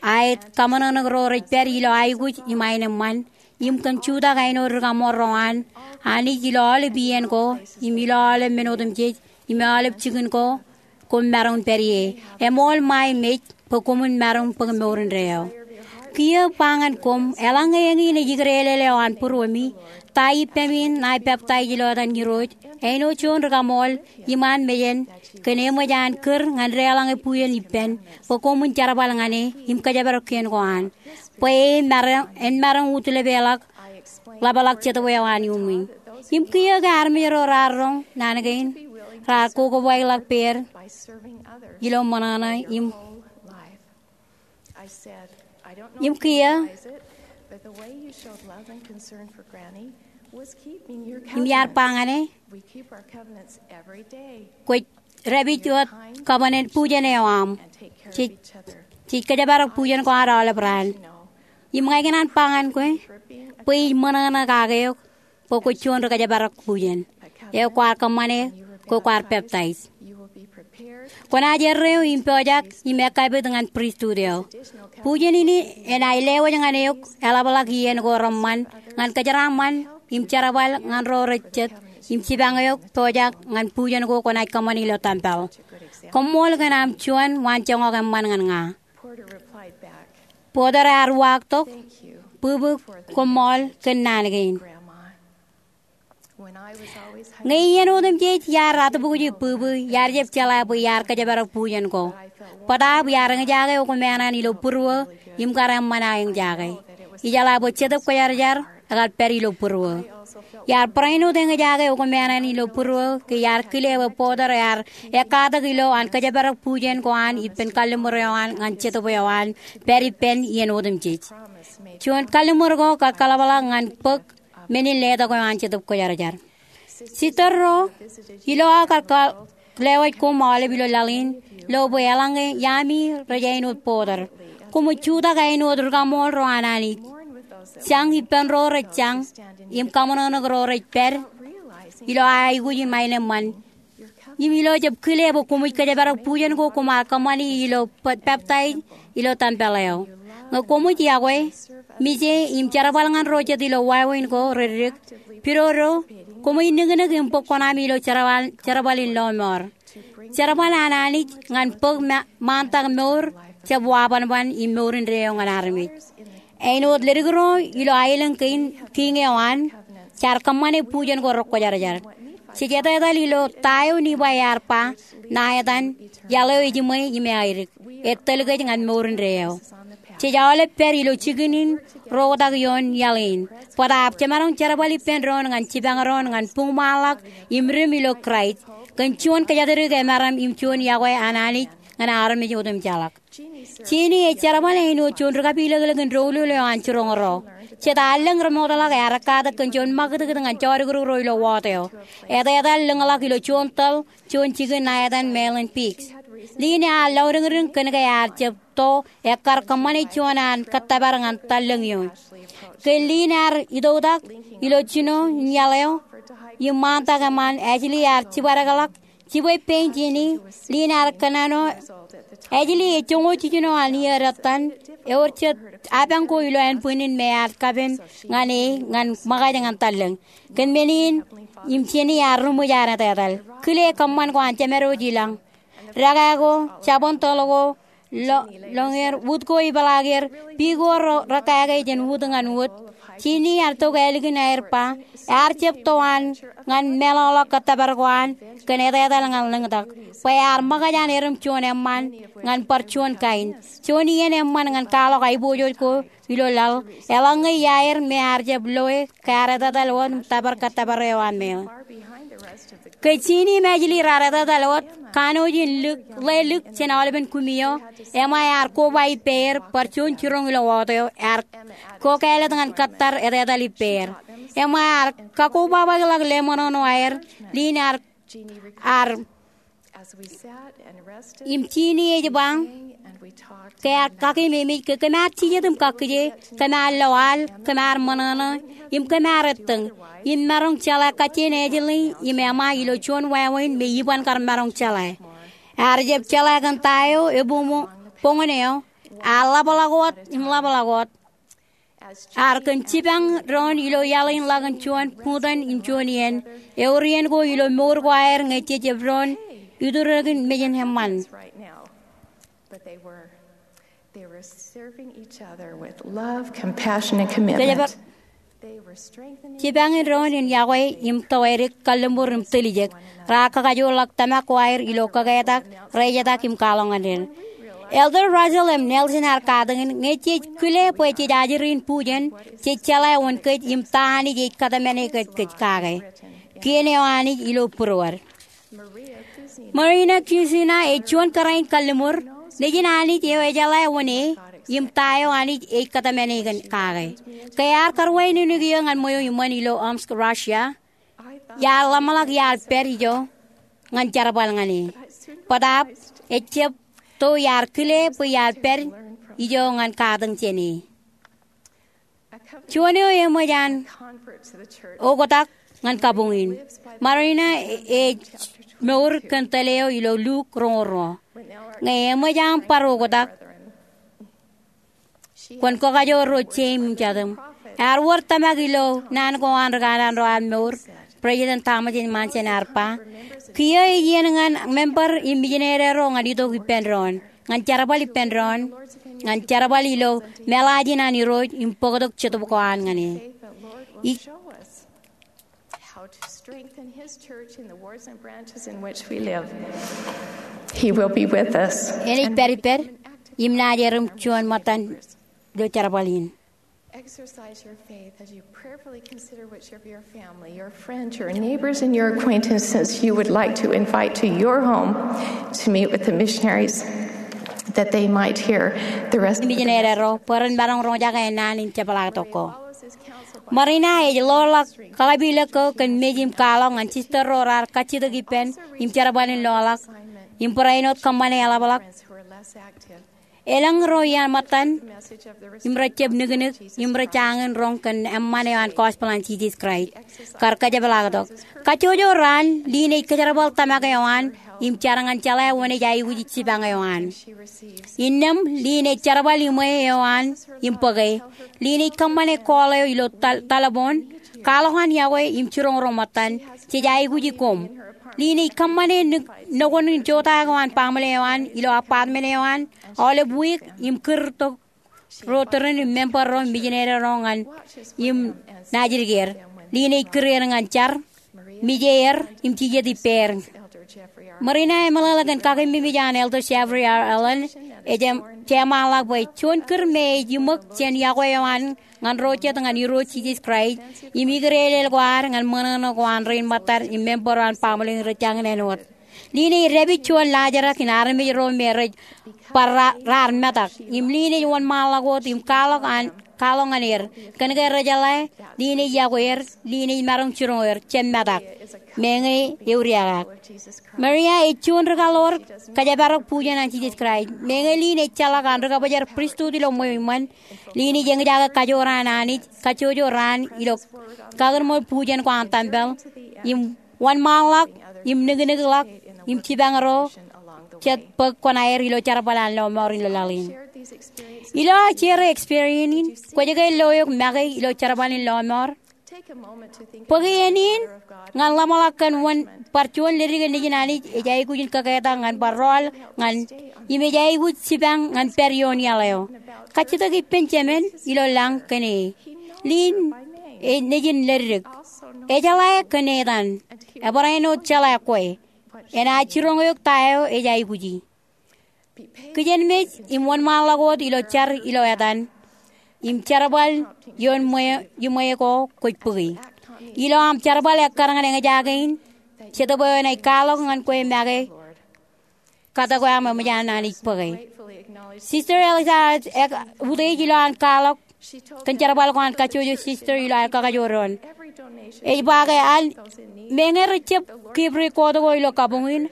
Aet kaṃōṇōṇō ro rej pād ilo aikuj im aenōṃṃan, im kōn jutak āinwōt rikaṃool ro an Anij ilo aolep iien ko, im ilo aolep men otemjej, im aolep jikin ko, koṃ maroñ pād ie. Eṃool ṃae mej, bwe koṃwin maroñ bōk mour indeeo. Kiiō ba ñan koṃ, eḷaññe eñin ej ikōtelel eo an būruemi, ta ippemi in ṇae peptaij ilo etan Irooj, āinwōt juon rikaṃool, iṃaan mejān, kōn eṃōj an kūr ñan deḷọñe bujen ippān, bwe koṃwin jerbal ñan e, im kōjparok kien ko an. Bwe e maroñ, en maroñ utilepeḷọk, ḷapḷọk jetōb eo an iuṃwin. Im kiiō ke armej ro raar roñ naan kein, raar kokobaikḷọk peier ilo ṃōṇōṇō im, im kiiō, im iar ba ñan e, kwōj dāpij wōt covenant bujen eo aṃ. Jej, jej kōjparok bujen ko ad aolep raan. Im ña ikōṇaan ba ñan kwe, bwe ij ṃōṇōṇō kake eok, bwe kwōj juon ri kōjparok bujen eo kwaar kōṃṃane, ke kwaar peptaij. Kwōnaaj erreo im pojak im ekkapit ñan pristut eo. Bujen in enaaj lewōj ñan eok eḷapḷọk iien ko reṃṃan ñan kōjeraaṃṃan im jerbal ñan ro rej jet im jipañ eok pojak ñan bujen ko kwōnaaj kōṃṃani ilo tempel. Koṃṃool kōn aṃ juon waanjoñak eṃṃan ñan ña. Porter ear uwaak tok, bwibwi, koṃṃool kōn naan kein. Ñe iien otemjej iar atbukwi bwibwi, iar jab jeḷā bwe iar kōjparok bujen ko. Bōtaab iar eñjake okmāāṇāṇ ilo būruō im kar eṃṃan aō eñjake. Ijeḷā bwe Jetōb Kwōjarjar ekar pād ilo būruō. Iar barāinwōt eñjake okmāāṇāṇ ilo būruō ke iar kile bwe Porter ear ekkatak ilo an kōjparok bujen ko an ippān kalliṃur eo an ñan Jetōb eo an pād ippān iien otemjej. Juon kalliṃur ko kar kaḷapḷọk ñan bōk men in letok eo an Jetōb Kwōjarjar. Sister ro, ilo aō kar lewōj koṃ aolep ilo laḷ in, lo bwe eḷaññe iaami rej āinwōt Porter, koṃij jutak āinwōt rikaṃool ro an Anij. Jañ ippān ro rej jañ, im kaṃōṇōṇō ro rej pād ilo aikuj im aenōṃṃan. Im ilo jab kile bwe koṃij kōjparok bujen ko koṃ ar kōṃṃani ilo peptaij ilo tempel eo. Ñe koṃij yokwe, mije im jerbal ñan ro jet ilo wāween ko reddik, pidodo, koṃij niknik im bōk kuṇaami ilo jerbal, jerbal in lọmọọr. Jerbal an Anij ñan bōk ṃaantak mour, jab wabanban im mour indeeo ñan armej. Āinwōt ledik ro ilo aelōñ kein kiiñ eo an, jaar kōṃṃane bujen ko rekwōjarjar. Jej etetal ilo ta eo Lipai ear ba, ṇa etan, iaḷ eo ejiṃwe im eadik, etōl kōj ñan mour indeeo. Jej aolep pād ilo jikin in ro oktak ioon iaḷ in. Bōtaab jemaroñ jerbal ippān doon ñan jipañ doon ñan buñṃaanḷọk im dim ilo Kraist, kōn juon kōjatdikdik emaroñ im juon yokwe an Anij ñan armej otemjeḷọk. Jeanne ej jerbal āinwōt juon ri kapilōklōk in doulul eo an jiroñ ro. Jet allōñ remootḷọk ear ekkatak kōn juon ṃakūtkūt ñan jodikdik ro ilo ward eo. Etetal lōñḷọk ilo juon tōl, juon jikin ṇa etan Mahlon Biggs. Lynn ear lọdiñdiñ kōn ke ear jab to ekkar kōṃṃane juon an kōttōpar ñan tallōñ ioon. Ke Lynn ear itoktak ilo jino in iaḷ eo, im ṃaantak eṃṃaan Ashley ear jibadekḷọk Jibwe pein jāne, Lynn ear kōṇaan eo, Ashley ej joñoul jiljino an iiō ettan, ewōr jet apañ ko ilo ānbwinnin me ear kapen ñan e ñan ṃōkaj ñan tallōñ. Kōn men in, im jāne ear ri ṃōj an etetal. Kile kōṃṃan ko an jemād wōj ilañ. Dekā ko, jabōn tōl ko, lo-, loñer, wūt ko ipeḷaakier, piik ko ro-, rekāke jān wūt ñan wūt. Jeanne ear tok ālikin aer ba, ear jab to an ñan meḷọkḷọk kōttōpar ko an kōn etetal ñan lōñtak. Bwe ear ṃōkaj an erom juon eṃṃan ñan bar juon kain. Juon iien eṃṃan ñan kwaḷọk aiboojoj ko ilo laḷ, eḷaññe iaer me ear jab loe ke ear etetal wōt im tōpar kōttōpar eo an meḷeḷe. Ke Jeanne im Ashley raar etetal wōt, kanooj in lik, ḷe lik jān aolepen kumi eo, Emma ear koba ippāer, bar juon jiroñ ilo wōt eo, ear ko kāālōt ñan kōttar etetal ippāer. Emma ear kakobabaḷọk leṃōṇōṇō aer, Lynn ear, ear Im Jeanne ej ba, ke ear kakememej ke kōm ar jijet im kakkije, kōm ar lo al, kōm ar ṃōṇōṇō, im kōm ar ettōñ, im maroñ jeḷā kajjien Ashley im Emma ilo juon wāween me iban kar maroñ jeḷā. Ear jab jeḷā kōn ta eo, ebuñ, boñōn eo, ear ḷapḷọk wōt, im ḷapḷọk wōt. Ear kōn jipañ doon ilo iaḷ in ḷọk in juon buñtōn in juon iien. Ewōr iien ko ilo mour ko aer ñe jej jab doon iturikin mejān eṃṃan. But they were, they were serving each other with love, compassion, and commitment. Kōjepel jipañ in doon in yokwe im tōwadik, kalliṃur im tiljek. Raar kakajoorḷọk tōmak ko aer ilo kōketak, rejetak im kwaḷọk ñan er. Elder Russell M. Nelson ear katakin, ñe jej kile bwe jej ajri in bujen, jej jeḷā wōn kōj im ta Anij ej kōtmāne kōj kake. Kien eo Anij ilo būruod. Marina Kusina ej juon kōrā in kalliṃur, nejin Anij eo ejeḷā wōn e, im ta eo Anij ej kōtmāne kōn kake. Ke ear karwaineneik eō ñan ṃweo iṃōn ilo Omsk, Russia, iar ḷōmṇak iar pād ijo ñan jerbal ñan e. Bōtaab, ejab to iar kile bwe iar pād ijo ñan katakin jān e. Juon eo eṃōj an oktak ñan kabuñ in. Marina ej mour kōn tōl eo ilo Luk roñoul ruo. Ñe eṃōj aṃ bar oktak, kwōn kakajoor ro jeim im jatūṃ. Ear wōr tōmak ilo naan ko an ri kanaan ro an mour, President Thomas S. Monson ear ba, kiiō ej iien ñan member im mijinede ro ñan itok ippān doon, ñan jerbal ippān doon, ñan jerbal ilo meḷaajin an Irooj im bōktok jetōb ko an ñan e. How to strengthen his church in the wards and branches in which we live. He will be with us. Enaaj pād ippād im naaj erom juon ṃōttan ilo jerbal in. Exercise your faith as you prayerfully consider which of your family, your friends, your neighbors, and your acquaintances you would like to invite to your home to meet with the missionaries, that they might hear the rest of the message. Mijinede ro bwe ren maroñ roñjake naan in jepḷaaktok ko. Marina ej loḷọk kakapilōk ko kōn mej im kwaḷọk ñan sister ro raar kajjitōk ippān im jerbal in loḷọk im barāinwōt kōṃṃane eḷapḷọk. Elōñ ro iaan ṃōttan im rej jab niknik im rej jañin roñ kōn eṃṃan eo an gospel an Jisōs Kraist kar kajepḷaaktok. Kajjojo raan, Lynn ej kōjerbal tōmak eo an im jar ñan jeḷā wōn ej aikuj jipañ eo an. Innām, Lynn ej jerbal iṃwe eo an im bōke. Lynn ej kōṃṃane call eo ilo tal-, taḷboon. Kwaḷọk an yokwe im jiroñ ro ṃōttan. Jej aikuji koṃ. Lynn ej kōṃṃane nōk-, nokwan in jota ko an baaṃle eo an ilo apartment eo an aolep wiik im kūr tok ro tūrin im member ro, mijinede ro ñan im naajdik er. Lynn ej kūr er ñan jar, mije er im jijet ippāer. Marina emeḷeḷe kōn kakememej an Elder Jeffrey R. Holland, ej jeṃaanḷọk bwe juon kūr me ej iṃōk jān yokwe eo an ñan ro jet ñan Irooj Jisōs Kraist im ikdeeḷeḷ ko ad ñan ṃōṇōṇō ko an rein ṃōttan im member ro an baaṃle in rej jañin āinwōt. Lynn ej dāpij juon laajrak in armej ro me rej bar ra-, raar metak. Im Lynn ej wōnṃaanḷọk wōt im kwaḷọk an, kwaḷọk ñan er. Kōn ke rejeḷā, Lynn ej yokwe er, Lynn ej maroñ jiroñ er, jab metak. Meñe euriakak. Maria ej juon rikaḷoor kōjparok bujen an Jisōs Kraist. Meñe Lynn ej jeḷak an rikabōjrak pristut ilo ṃweo iṃōn, Lynn ej eñjake kajoor an Anij kajjojo raan ilo kakūrṃool bujen ko an tempel, im wōnṃaanḷọk, im niknikḷọk, im jipañ ro jet bōk kuṇaer ilo jerbal an lọmọọr in laḷ in. Ilo aō share experience in, kwōj ke lo eok make ilo jerbal in lọmọọr? Bōk iien in ñan ḷōmṇak kōn wōn bar juon ledik in Nejin Anij ej aikuj in kōketak ñan bar rọọl ñan, im ej aikuj jipañ ñan pād ioon iaḷ eo. Kajjitōk ippān Jemān ilo lañ kōn e. Lynn ej nejin ledik. Ejeḷā kōn etan. Ebarāinwōt jeḷā kwe. Enaaj jiroñ eok ta eo ej aikuji. Kijenmej im wōnṃaanḷọk wōt ilo jar ilo etan im jerbal ioon ṃweo, iṃwe ko kwōj bōki. Ilo aṃ jerbal ekkar ñan eñjake in, Jetōb eo enaaj kwaḷọk ñan kwe make katak eo aṃ eṃōj an Anij bōke. Sister Elisa ear, ear utiej ilo an kwaḷọk kōn jerbal ko an kajjojo sister ilo aer kakajoor doon. Ej ba ke an, meñe rej jab keep record ko ilo kabuñ in,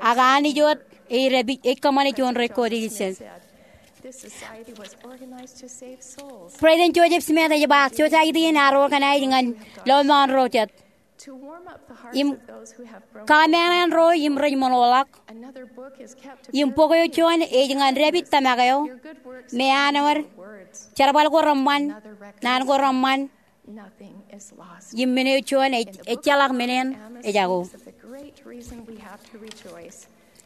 ak Anij wōt ej dāpij, ej kōṃṃane juon record ijin. President Joseph Smith ej ba, society in ear organize ñan lọmọọr ro jet im kamenan ro im rej ṃoṇoḷọk. Im bok eo juon ej ñan dāpij tōmak eo, me an wōr, jerbal ko reṃṃan, naan ko reṃṃan, im men eo juon ej, ejjeḷọk men eṇ ejako.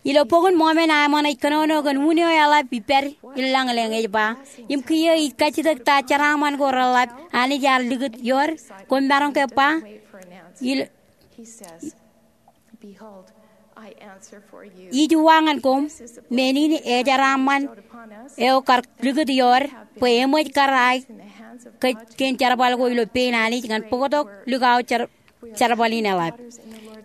Ilo Bok in Mọmọn, Ammon ej kōnono kōn un eo eḷap ippād in lañlōñ, ej ba, im kiiō ij kajjitōk ta jeraaṃṃan ko reḷap Anij ear likūt iood, koṃ maroñ ke ba, ilo, ij uwaak ñan koṃ, men in ejeraaṃṃan eo kar likūt iood, bwe eṃōj kar aō kōj kein jerbal ko ilo pein Anij ñan bōktok likao jer-, jerbal in eḷap.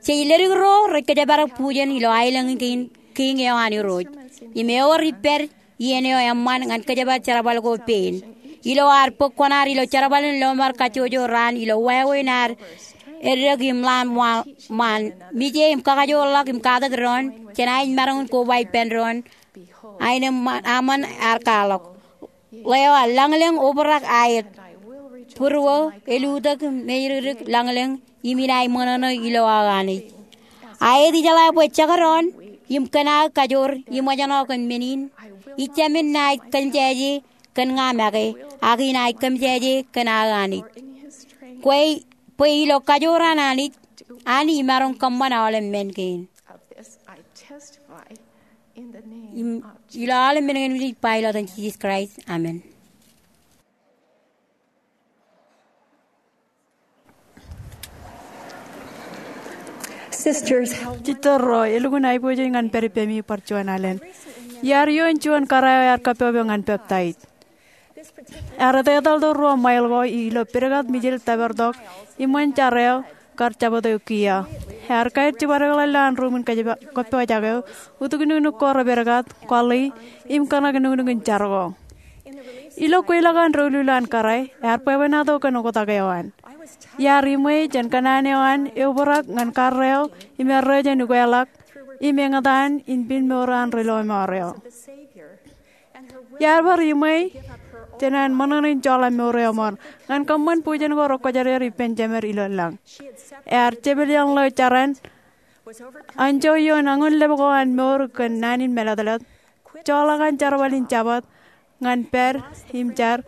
Jej ledik ro rej kōjparok bujen ilo aelōñ kein kiiñ eo an Irooj. Im ewōr ippād iien eo eṃṃan ñan kōjparok jerbal ko pein. Ilo ad bōk kuṇaad ilo jerbal in lọmọọr kajjojo raan ilo wāween ad eddek im ḷaam ṃaan, ṃaan, mije im kakajoorḷọk im katak doon, jenaaj maroñ in koba ippān doon. Aenōṃṃan, Ammon ear kwaḷọk. Ḷeo aō lañlōñ obrak aet. Būruō, elutōk, mejdik lañlōñ, im inaaj ṃōṇōṇō ilo aō Anij. Aet ijeḷā bwe jekdọọn, im kōn aō kajoor, iṃōjṇọ kōn men in, ij jāmin naaj kōmjāje kōn ña make, ak inaaj kōmjāje kōn aō Anij. Kwe, bwe ilo kajoor an Anij, an imaroñ kōṃṃan aolep men kein. Im, ilo aolep men kein ij ba ilo etan Jisōs Kraist. Amen. Sisters, jistōr ro, elukkuun aiboojoj ñan pād ippemi bar juon alen. Iar ioon juon kōrā eo ear kōppopo ñan peptaij. Ear etetal to ruo ṃail ko ilo pedkat mijel tōpartok iṃōn jar eo kar jabdewōt kiiō. Ear kaer jibadekḷọk lowaan ruuṃ in kōjpa-, kōppojak eo, utūk nuknuk ko rej pedkat, kwōḷi, im kōṇak nuknuk in jar ko. Ilo kweilọk an doulul an kōrā, ear bwebwenato kōn oktak eo an. Iar iṃwe jān kōṇaan eo an eobrak ñan karreo im erreo jān ukweḷọk im eñtaan in pād mour an ri lọmọọr eo. Iar bar iṃwe jān an ṃōṇōṇō in joḷọk mour eo ṃool ñan kōṃṃan bujen ko rekwōjarjar ippān Jemed ilo lañ. Ear jepel iọñḷọk jaran anjọ ioon añun lōb ko an mour kōn naan in mālōtlōt, joḷọk an jerbal in Jabōt ñan pād im jar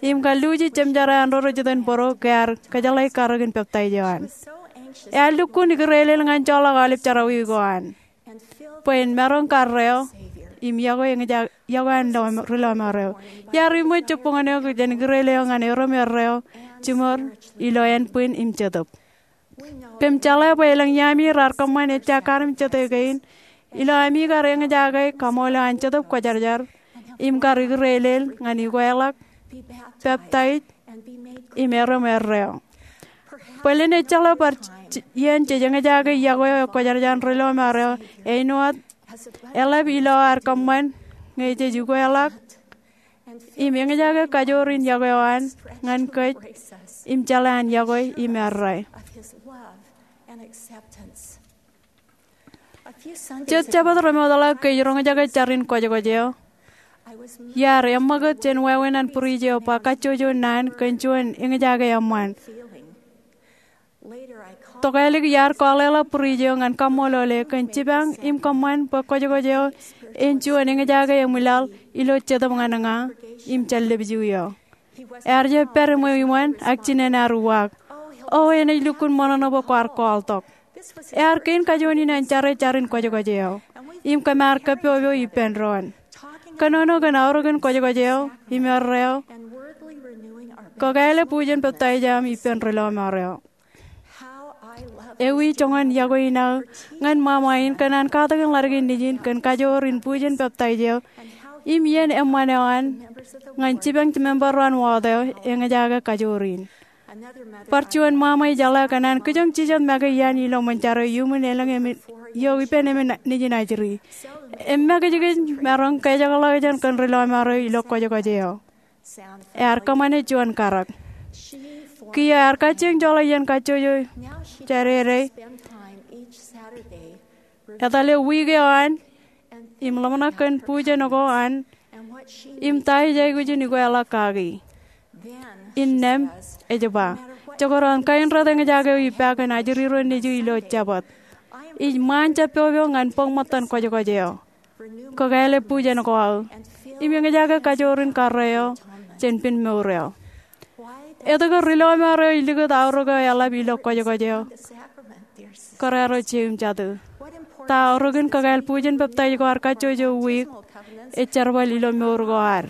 im kalluuji jemjerā an ro rej jitōnbōro ke ear kōjeḷā karōk in peptaij eo an. Ear lukkuun ikōrelel ñan joḷọk aolep jerọwiwi ko an bwe en maroñ karreo im yokwe eñja-, yokwe an lọm-, ri lọmọọr eo. Iar iṃwe jibboñōn eok jān ikōrel eo ñan erom erreo jiṃor ilo ānbwin im jetōb. Kōm jeḷā bwe elōñ iaami raar kōṃṃan ejja kar im jete kein ilo ami kar eñjake kaṃool eo an Jetōb Kwōjarjar im kar ikōrelel ñan ikweḷọk, peptaij, im erom erreo. Bōlen ejjeḷọk bar j-, j-, iien jej eñjake yokwe eo ekwōjarjar an ri lọmọọr eo āinwōt eḷap ilo ad kōṃṃan ñe jej ikweḷọk im eñjake kajoor in yokwe eo an ñan kōj im jeḷā an yokwe im errā. Jet Jabōt remootḷọk ke ij roñjake jar in kwōjkwōj eo, iar eṃṃakūt jān wāween an būruij eo ba kajjojo naan kōn juon eñjake eṃṃan. Tokālik iar kwaḷeḷap būruijo ñan kaṃṃoolol e kōn jipañ im kōṃṃan bwe kwōjkwōj eo en juon eñjake emwilaḷ ilo Jetōb ñan ña im jān lepju eo. Ear jab pād iṃweo iṃōn ak jinen ear uwaak. O, enaaj lukkuun ṃōṇōṇō bwe kwaar kwaḷtok. Ear kein kajuon in an jare jarin kwōjkwōj eo im kōm ar kōppopo ippān doon, kōnono kōn aorōkin kwōjkwōj eo im erreo, kōkāāle bujen peptaij eo aṃ ippān ri lọmọọr eo. Ewi joñan iọkwe in aō ñan ṃaṃa in kōn an katakin ḷaddik in nejin kōn kajoor in bujen peptaij eo im iien eṃṃan eo an ñan jipañ member ro an wōt eo eñjake kajoor in. Bar juon ṃaṃa ej jeḷā kōn an kijoñ jijet make iaan ilo ṃōn jaro iuṃwin elōñ eo ippān emān nejin ajri. Im makijkij maroñ kajekḷọk jān kōn ri lọmọọr eo ilo kwōjkwōj eo. Ear kōṃṃane juon karōk. Kiiō ear kajjioñ joḷọk iien kajjojo jādede, etale wiik eo an, im ḷōmṇak kōn bujen ko an, im ta ej aikuj in ikweḷọk kaki. Innām ej ba, jekdọọn kain rot eñjake eo ippa kōn ajri ro nejū ilo Jabōt, ij ṃaan jab poopo ñan bōk ṃōttan kwōjkwōj eo, kōkāāle bujen ko aō, im eñjake kajoor in karreo jān pen mour eo. Etke ri lọmọọr eo ej likūt aorōk eo eḷap ilo kwōjkwōj eo? Kōrā ro jeiū im jatū, ta aorōkin kōkāāl bujen peptaij ko ad kajjojo wiik ej jerbal ilo mour ko ad?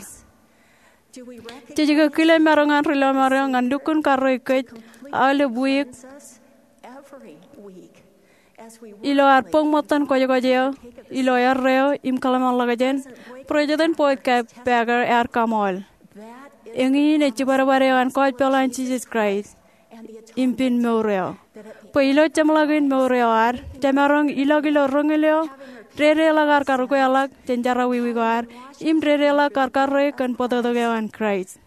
Jej ke kile maroñ an ri lọmọọr eo ñan lukkuun karreo kōj aolep wiik ilo ad bōk ṃōttan kwōjkwōj eo ilo erreo im kōḷmānḷọkjeṇ? President Boyd K. Packer ear kaṃool, eñin ej jibadbad eo an gospel an Jisōs Kraist im pen mour eo, bwe ilo jeṃḷọkin mour eo ad, jemaroñ ilọk ilo roñoul eo, dedeḷọk ad kar ukweḷọk jān jerọwiwi ko ad, im dedeḷọk kar karreo kōn bōtōktōk eo an Kraist.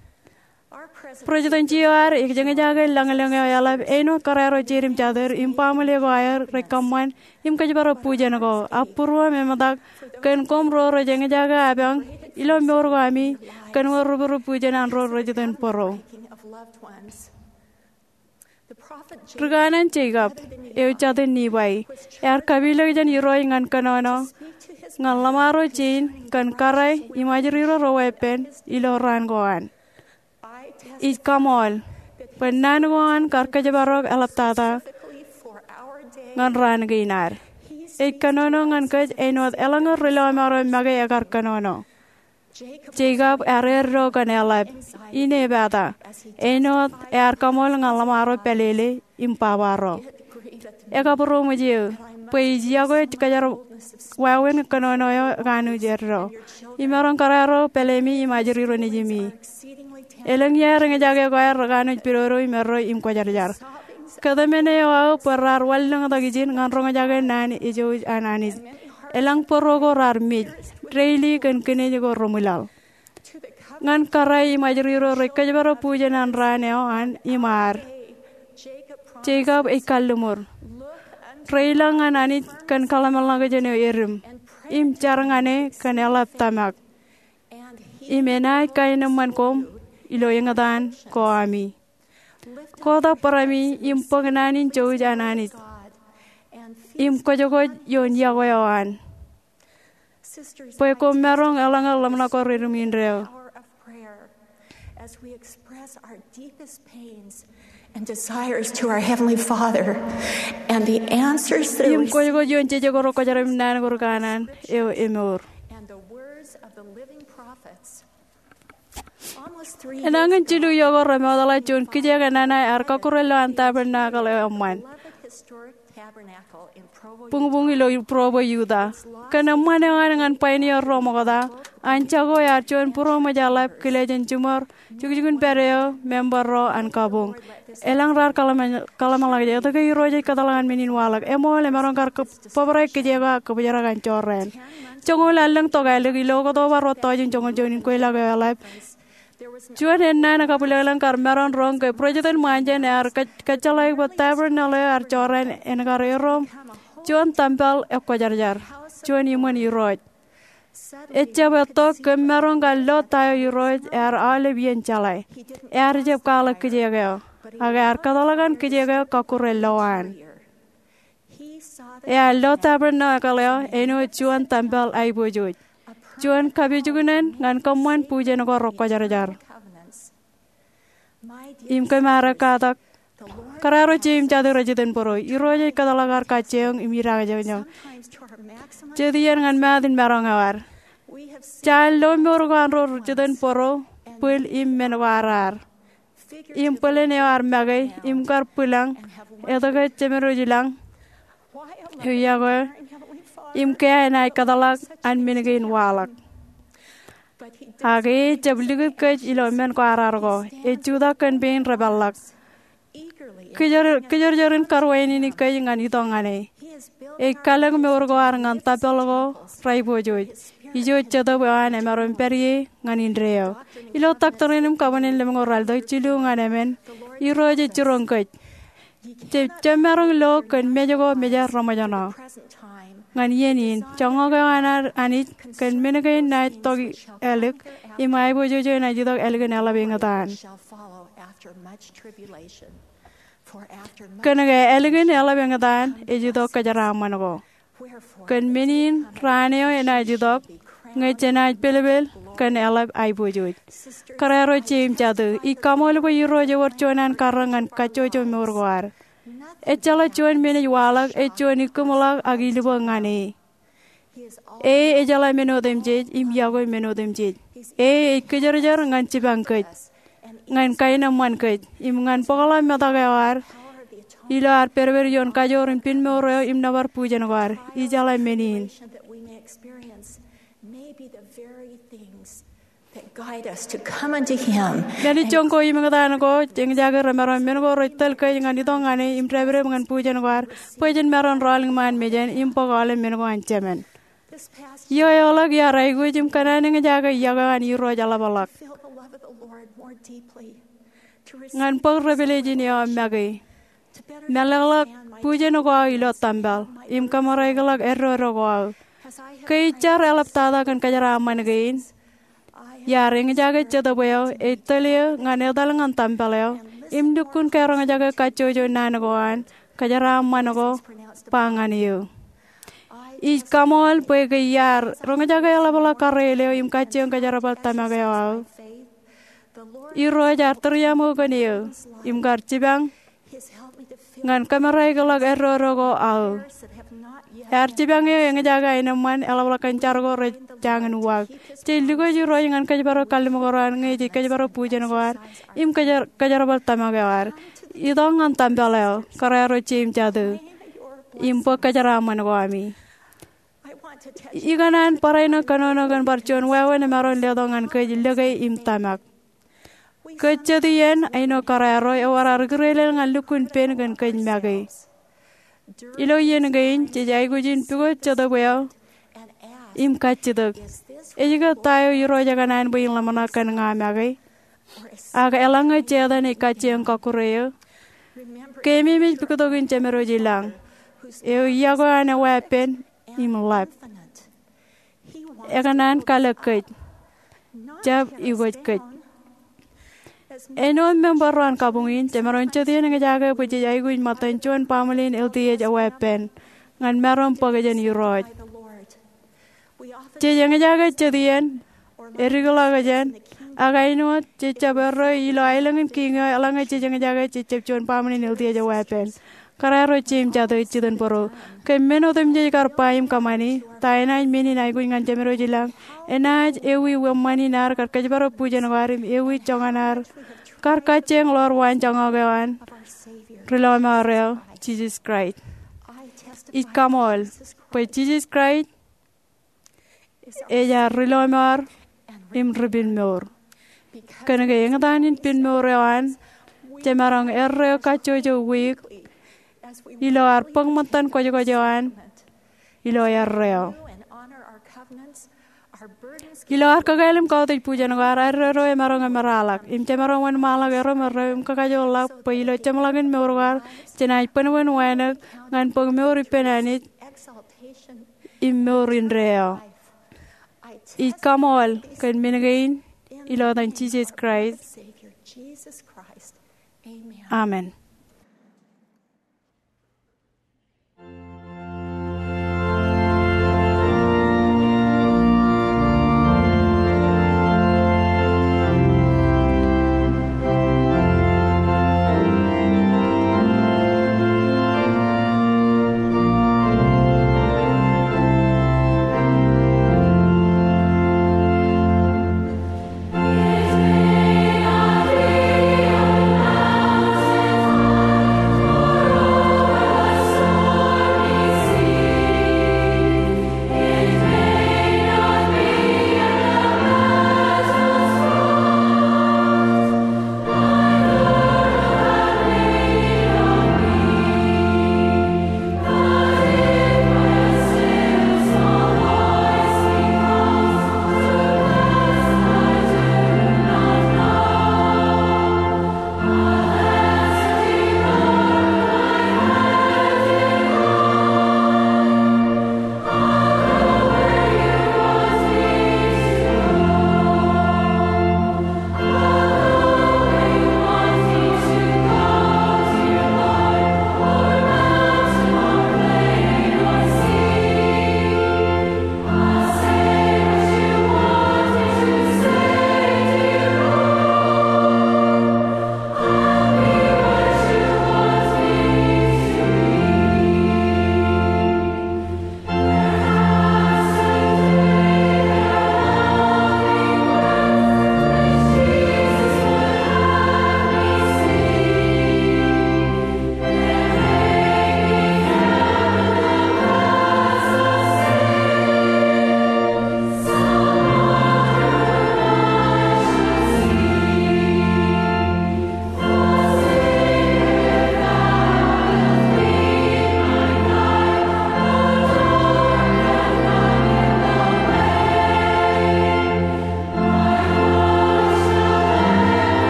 President eo ad ej eñjake lañlōñ eo eḷap āinwōt kōrā ro jeid im jatid im baaṃle ko aer rej kōṃṃan im kōjparok bujen ko, ak būruōm eṃōtak kōn koṃ ro rej eñjake apañ ilo mour ko ami kōn wōt rūpūrup bujen an ro rej itōn bōro. Ri kanaan Jekob, eo jatū in Nifai, ear kapilōk jān Irooj ñan kōnono ñan ḷōṃaro jein kōn kōrā im ajri ro reweeppān ilo raan ko an. Ij kaṃool bwe naan ko an kar kōjparok eḷaptata ñan raan kein ad. Ej kōnono ñan kōj āinwōt eḷaññe ri lọmọọr eo make ekar kōnono. Jekob ear eddo kōn eḷap im epata āinwōt ear kaṃool ñan ḷōṃaro pālele im baba ro. Ekabūroṃōj eō bwe ij yokwe kōjro wāween kōnono eo ekanooj eddo. Imaroñ kōrā ro pālemi im ajri ro nejimi. Elōñ iaer eñjake ko aer rekanooj pidodo im eddo im kwōjarjar. Kōtmāne eo aō bwe raar wanlōñtak ijin ñan roñjake naan ejouj an Anij. Elōñ bōro ko raar mej, deili kōn kinej ko remwilaḷ. Ñan kōrā im ajri ro rej kōjparok bujen an raan eo an im ad, Jekob ej kalliṃur. Reilañ ñan Anij kōn kōḷmānḷọkjeṇ eo edim, im jar ñan e kōn eḷap tōmak. Im enaaj kaenōṃṃan koṃ ilo eñtaan ko ami. Kotak barāmi im bōk naan in jouj an Anij im kwōjkwōj ioon iọkwe eo an, bwe koṃ maroñ eḷaññe ḷōmṇak ko redim indeeo. As we express our deepest pains and desires to our Heavenly Father, and the answers that Im kwōjkwōj ioon jeje ko rekwōjarjar im naan ko rikanaan eo emour. And the words of the living prophets. Enañin jilu iọkwe remootḷọk juon kijeek enana ear kọkkure lowaan tabernacle eo eṃṃan. Buñbuñ ilo Provo, Utah. Kōn eṃṃan eo an ñan pioneer ro ṃokta, an jako ear juon būroṃōj eḷap kile jān jiṃor jukjukun pād eo member ro an kabuñ. Elōñ raar kōḷmānḷọkjeṇ, etke Irooj ej kōtḷọk an men in waḷọk? Eṃool, emaroñ kar bōbrae kijeek eo ak kōbōjrak an jorrāān. Joñoul allōñ tokālik, ilo October ruo tọujin joñoul juon, inkweilọk eo eḷap, juon ennaan kabwilōñlōñ kar maroñ roñ ke President Monson ear kōjjeḷāik bwe tabernacle eo ear jorrāān en kar erom juon tempel ekwōjarjar, juon iṃōn Irooj. Ejjab etto kōm maroñ kar lo ta eo Irooj ear aolep iien jeḷā. Ear jab kwaḷọk kijeek eo. Ak ear kōtḷọk an kijeek eo kọkkure lowaan. Ear lo tavern ṇo ekōḷ eo āinwōt juon tempel aiboojoj, juon kapijuknen ñan kōṃṃan bujen ko rekwōjarjar. Im kōm ar ekkatak, kōrā ro jeiū im jatū rej itok bōro, Irooj ej kōtḷọk ad kajjioñ im idaakōjoñoñ, jet iien ñan ṃaat in maroñ eo ad. Jaar lo mour ko an ro rej itok bōro, bwil im men ko ar raar. Im bōlen eo ar make, im kar bwilōñ, etke jemedwōj ilañ eo yokwe, im ke enaaj kōtḷọk an men kein waḷọk. Ak e ejjab likūt kōj ilo men ko ar raar ko, ej jutak kōn pein repeḷḷọk. Kōjorjor in kar wāween kōj ñan itok ñan e. Ej kalōk mour ko ad ñan tempel ko raiboojoj, ijo Jetōb eo an emaroñ pād ie ñan indeeo. Ilo doctrine im covenant lemñoul ralitōk jilu ñan emān, Irooj ej jiroñ kōj, jab maroñ lo kōn mej ko mejaṃ reṃōjṇọ. Ñan iien in, joñak eo an Anij kōn men kein naaj tok ālik, im aiboojoj eo enaaj itok ālikin eḷap eñtaan. Kōnke ālikin eḷap eñtaan ej itok kōjeraaṃṃan ko. Kōn men in raan eo enaaj itok, ñe jenaaj pelpel kōn eḷap aiboojoj. Kōrā ro jeiū im jatū, ij kaṃool bwe Irooj ewōr juon an karreoṇ ñan kajjojo mour ko ad. Ejjeḷọk juon men ej waḷọk ej juon ikkūṃḷọk ak ilubōk ñan e. E ejeḷā men otemjej im yokwe men otemjej. E ej kōjorjor ñan jipañ kōj, ñan kaenōṃṃan kōj, im ñan bōkḷọk metak eo ad ilo ad pedped ioon kajoor im pinmour eo im nōbar bujen ko ad. Ijeḷā men in. That guide us to come unto him. Mālejjoñ ko im eñtaan ko eñjake remaroñ men ko rej tōl kōj ñan itok ñan e im dāpdep ñan bujen ko ad, bwe jen maroñ rọọl iṃaan mejān im bōk aolep men ko an Jemān. Ioeoḷọk iar aikuj im kōṇaan eñjake yokwe an Irooj eḷapḷọk. Ñan bōk revelation eo make. Mālōtlōt bujen ko aō ilo tempel im kōmereikḷọk eddodo ko aō. Ke ij jar eḷaptata kōn kōjeraaṃṃan kein, iar eñjake Jetōb eo ej tōl eō ñan etal ñan tempel eo im lukkuun karoñjake kajjojo naan ko an kōjeraaṃṃan ko ba ñan eō. Ij kaṃool bwe ke iar roñjake eḷapḷọk karreel eo im kajjioñ kōjerbal tōmak eo aō. Irooj ear tūriaṃo kōn eō im kar jipañ ñan kōmereikḷọk eddodo ko aō. Ear jipañ eō eñjake aenōṃṃan eḷapḷọk kōn jar ko rej jañin uwaak. Jej lukkuun Irooj ñan kōjparok kalliṃur eo an ñe jej kōjparok bujen ko ad im kōjerbal tōmak eo ad. Itok ñan tempel eo, kōrā ro jeiū im jatū, im bōk kōjeraaṃṃan ko ami. Ikōṇaan barāinwōt kōnono kōn bar juon wāween emaroñ letok ñan kōj lōke im tōmak. Kōj jet iien, āinwōt kōrā ro, ewōr ar ikūrelel ñan lukkuun pen kōn kōj make. Ilo iien kein jej aikuj in pukot Jetōb eo im kajjitōk, ej ke ta eo Irooj ekōṇaan bwe in ḷōmṇak kōn ña make? Ak eḷaññe Setan ej kajjioñ kọkkure eō, keememej puktokin Jemedwōj ilañ, eo yokwe an eweeppān im ḷap. Ekōṇaan kalōk kōj, jab ikwōj kōj. Āinwōt member ro an kabuñ in, jemaroñ jet iien eñjake bwe jej aikuj ṃōttan juon baaṃle in L D S eweeppān ñan maroñ bōk jān Irooj. Jej eñjake jet iien, edikḷọk jān, ak āinwōt jej jab erreo ilo aelōñ in kiiñ eo, eḷaññe jej eñjake jej jab juon baaṃle in L D S eweeppān. Kōrā ro jeiū im jatū, jitōnbōro, ke men otemjej kar ba im kōṃṃani, ta enaaj men in aikuj ñan Jemedwōj ilañ? Enaaj ewi wōṃṃan in ad kar kōjparok bujen ko ad im ewi joñan ad kar kajjioñ ḷoor waan joñak eo an Ri-lọmọọr eo, Jisōs Kraist. Ij kaṃool bwe Jisōs Kraist ej ad Ri-lọmọọr im Ri-pinmour. Kōnke eñtaan in pinmour eo an, jemaroñ erreo kajjojo wiik ilo ad bōk ṃōttan kwōjkwōj eo an ilo erreo. Ilo ad kakāāl im kautiej bujen ko ad, eddodo emaroñ emeraḷọk, im jemaroñ wōnṃaanḷọk erreo im erreo im kakajoorḷọk bwe ilo jeṃḷọkin mour ko ad jenaaj bōnbōn wānōk ñan bōk mour ippān Anij im mour indeeo. Ij kaṃool kōn men kein ilo etan Jisōs Kraist. Amen.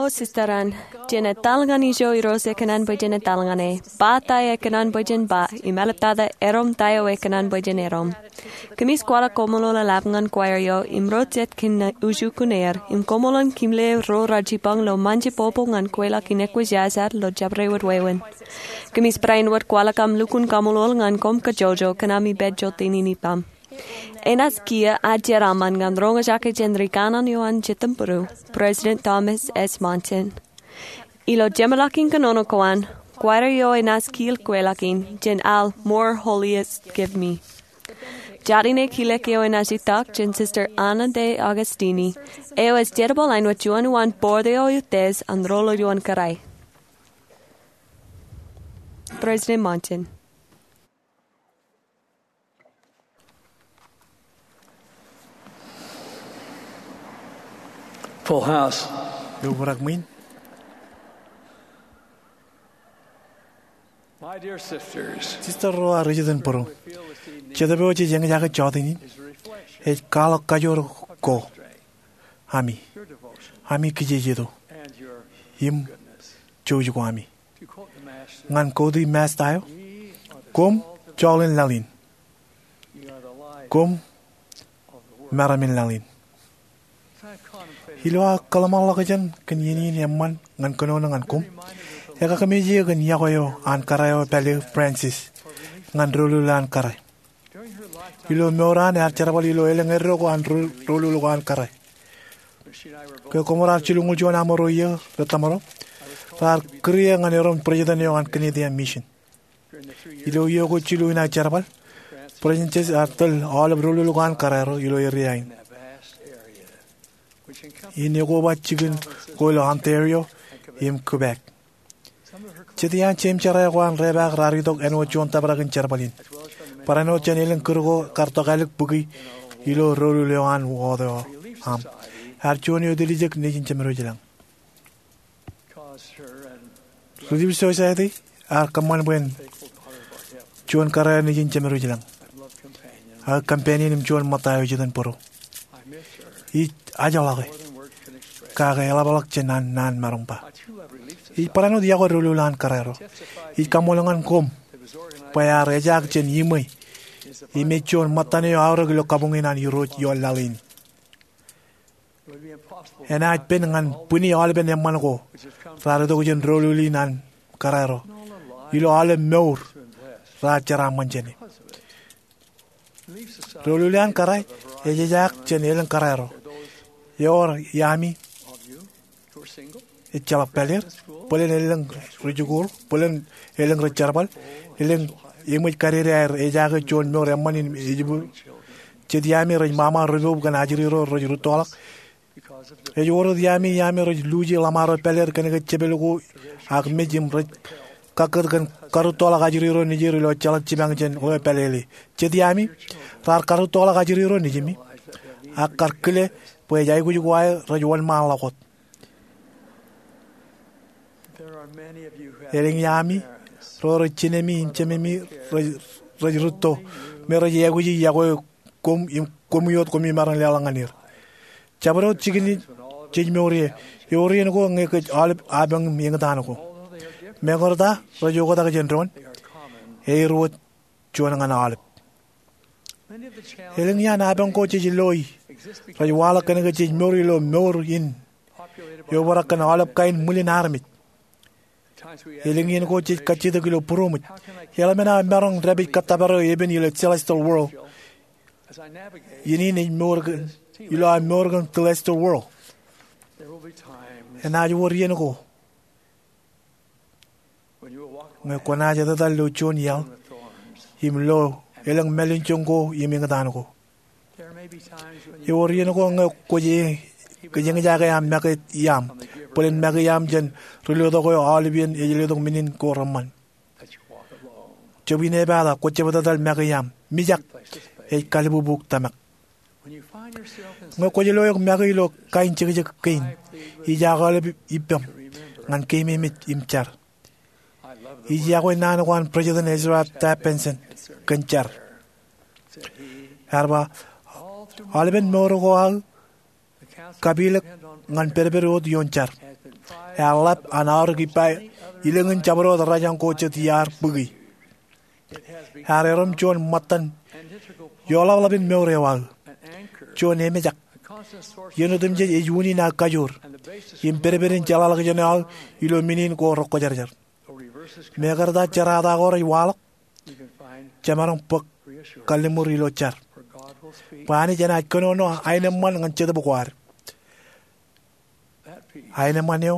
O sister an, jen etal ñan ijo Irooj ekōṇaan bwe jen etal ñan e. Ba ta eo ekōṇaan bwe jen ba, im eḷaptata erom ta eo ekōṇaan bwe jen erom. Kōmij kwaḷọk koṃṃool eḷap ñan choir eo im ro jet kōn ujukun er, im koṃṃool in kōmle ro rej jipañ ilo ṃaanjẹ popo ñan kweilọk in ekwōjarjar ilo jabdewōt wāween. Kōmij barāinwōt kwaḷọk aṃ lukkuun kaṃṃoolol ñan koṃ kajjojo kōn ami pād jota in ippām. Enaaj kiiō ad jeraaṃṃan ñan roñjake jān ri kanaan eo an Jetōm Bōro, President Thomas S. Monson. Ilo jeṃḷọkin kōnono ko an, choir eo enaaj kiil kweilọk in jān al More Holiest Give Me. Jatine kilek eo enaaj itak jān Sister Anna De Agostini, eo ej jerbal āinwōt juon uwaan board eo eutiej an ro ilo juon kōrā. President Monson. Full house. Eobrak ṃwiin. My dear sisters, Sista ro ak rijitōnbōro, jetōb eo jej eñjake jọteen in ej kwaḷọk kajoor ko ami, ami kijejeto, im jouj ko ami. Ñan kootiej Masta eo, koṃ joḷ in laḷ in. Koṃ meram in laḷ in. Ilo aō kōḷmānḷọkjeṇ kōn iien in eṃṃan ñan kōnono ñan koṃ, ekakmej eō kōn yokwe eo an kōrā eo pāle, Frances, ñan doulul eo an kōrā. Ilo mour eo an ear jerbal ilo elōñ eddo ko an ro-, doulul ko an kōrā. Ke koṃ raar jilñuul juon aṃro iiō rej tōmro, raar kūr eō ñan erom president eo an Kōnite Mission. Ilo iiō ko jilu in aō jerbal, Frances ear tōl aolep doulul ko an kōrā ro ilo eria in, in ekoba jikin ko ilo Ontario im Quebec. Jet iaan jeim jerā ko an repaak raar itok āinwōt juon tōprak in jerbal in, barāinwōt jān elōñ kūr ko kar tokālik bōki ilo doulul eo an wōt eo aṃ. Ear juon eo etiljek nejin jemedwōj lañ. Relief Society ear kōṃṃan bwe en juon kōrā eo nejin jemedwōj lañ, aō companion im juon ṃōtta eo ej itok bōro. Ij ajḷọke, kake eḷapḷọk jān an naan maroñ ba. Ij barāinwōt yokwe doulul an kōrā ro. Ij kaṃṃoolol ñan koṃ bwe ear ejaak jān iṃwe im ej juon ṃōttan eo aorōk ilo kabuñ in an Irooj ioon laḷ in. Enaaj pen ñan bwini aolepen eṃṃan ko raar itok jān doulul in an kōrā ro ilo aolep mour raar jeraaṃṃan jāne. Doulul eo an kōrā ej ejaak jān elōñ kōrā ro. Ewōr iaami ejjeḷọk pāleer, bōlen elōñ rijikuuḷ, bōlen elōñ rej jerbal, elōñ eṃōj kadede aer ejaake juon mour eṃṃan im ejibwid. Jet iaami rej ṃaṃa ripoob kōn ajri ro rej rūttoḷọk. Ej wōr wōt iaami, iaami rej luuji ḷōṃaro pāleer kōnke jepel ko ak mej im rej kakkūt kōn karūttoḷọk ajri ro nejier ilo ejjeḷọk jipañ jān ḷeo pālele. Jet iaami raar karūttoḷọk ajri ro nejimi ak kar kile bwe ej aikuj ko aer rej wōnṃaanḷọk wōt. Elōñ iaami ro rej jinemi im jememi rej, rej rūtto me rej āikuji yokwe koṃ im koṃ wōt koṃ maroñ leḷọk ñan er. Jabdewōt jikin jej mour ie, ewōr iien ko ñe kōj aolep apañ im eñtaan ko. Meñe rej oktak jān doon, eor wōt juon ñan aolep. Elōñ iaan apañ ko jej loi rej waḷọk kōnke jej mour ilo mour in eobrak kōn aolep kain ṃwilin armej. Elōñ iien ko jej kajjitōk ilo būroṃōj, eḷap men aō maroñ dāpij kōttōpar eo epen ilo celestial world iien in ej mour kōn, ilo aō mour kōn celestial world. Enaaj wōr iien ko ñe kwōnaaj etetal ilo juon iaḷ im lo elōñ mālin joñ ko im eñtaan ko. Ewōr iien ko ñe kwōj, kōj eñjake aṃ make iaam, bōlen make iaam jān ri-letok eo aolepān ej letok men in ko reṃṃan. Jab in epata kwōj jab etetal make iaam, mijak ej kalbubu tōmak. Ñe kwōj lo eok make ilo kain jekjek kein, ij aō aolep ippaṃ ñan keememej im jar. Ij yokwe naan ko an President Ezra Taft Benson kōn jar. Ear ba, aolepen mour ko aō kapilōk ñan pedped wōt ioon jar. Ear ḷap an aorōk ippa ilōñin jabdewōt rajañ ko jet iaar bōki. Ear erom juon ṃōttan ioḷapḷap in mour eo aō, juon emejak. Iien otemjej ej unin aō kajoor im pedped in jeḷāḷọkjeṇ eo aō ilo men in ko rekwōjarjar. Mekarta jerata ko rej waḷọk, jemaroñ bōk kalliṃur ilo jar bwe Anij enaaj kōnono aenōṃṃan ñan Jetōb ko ad. Aenōṃṃan eo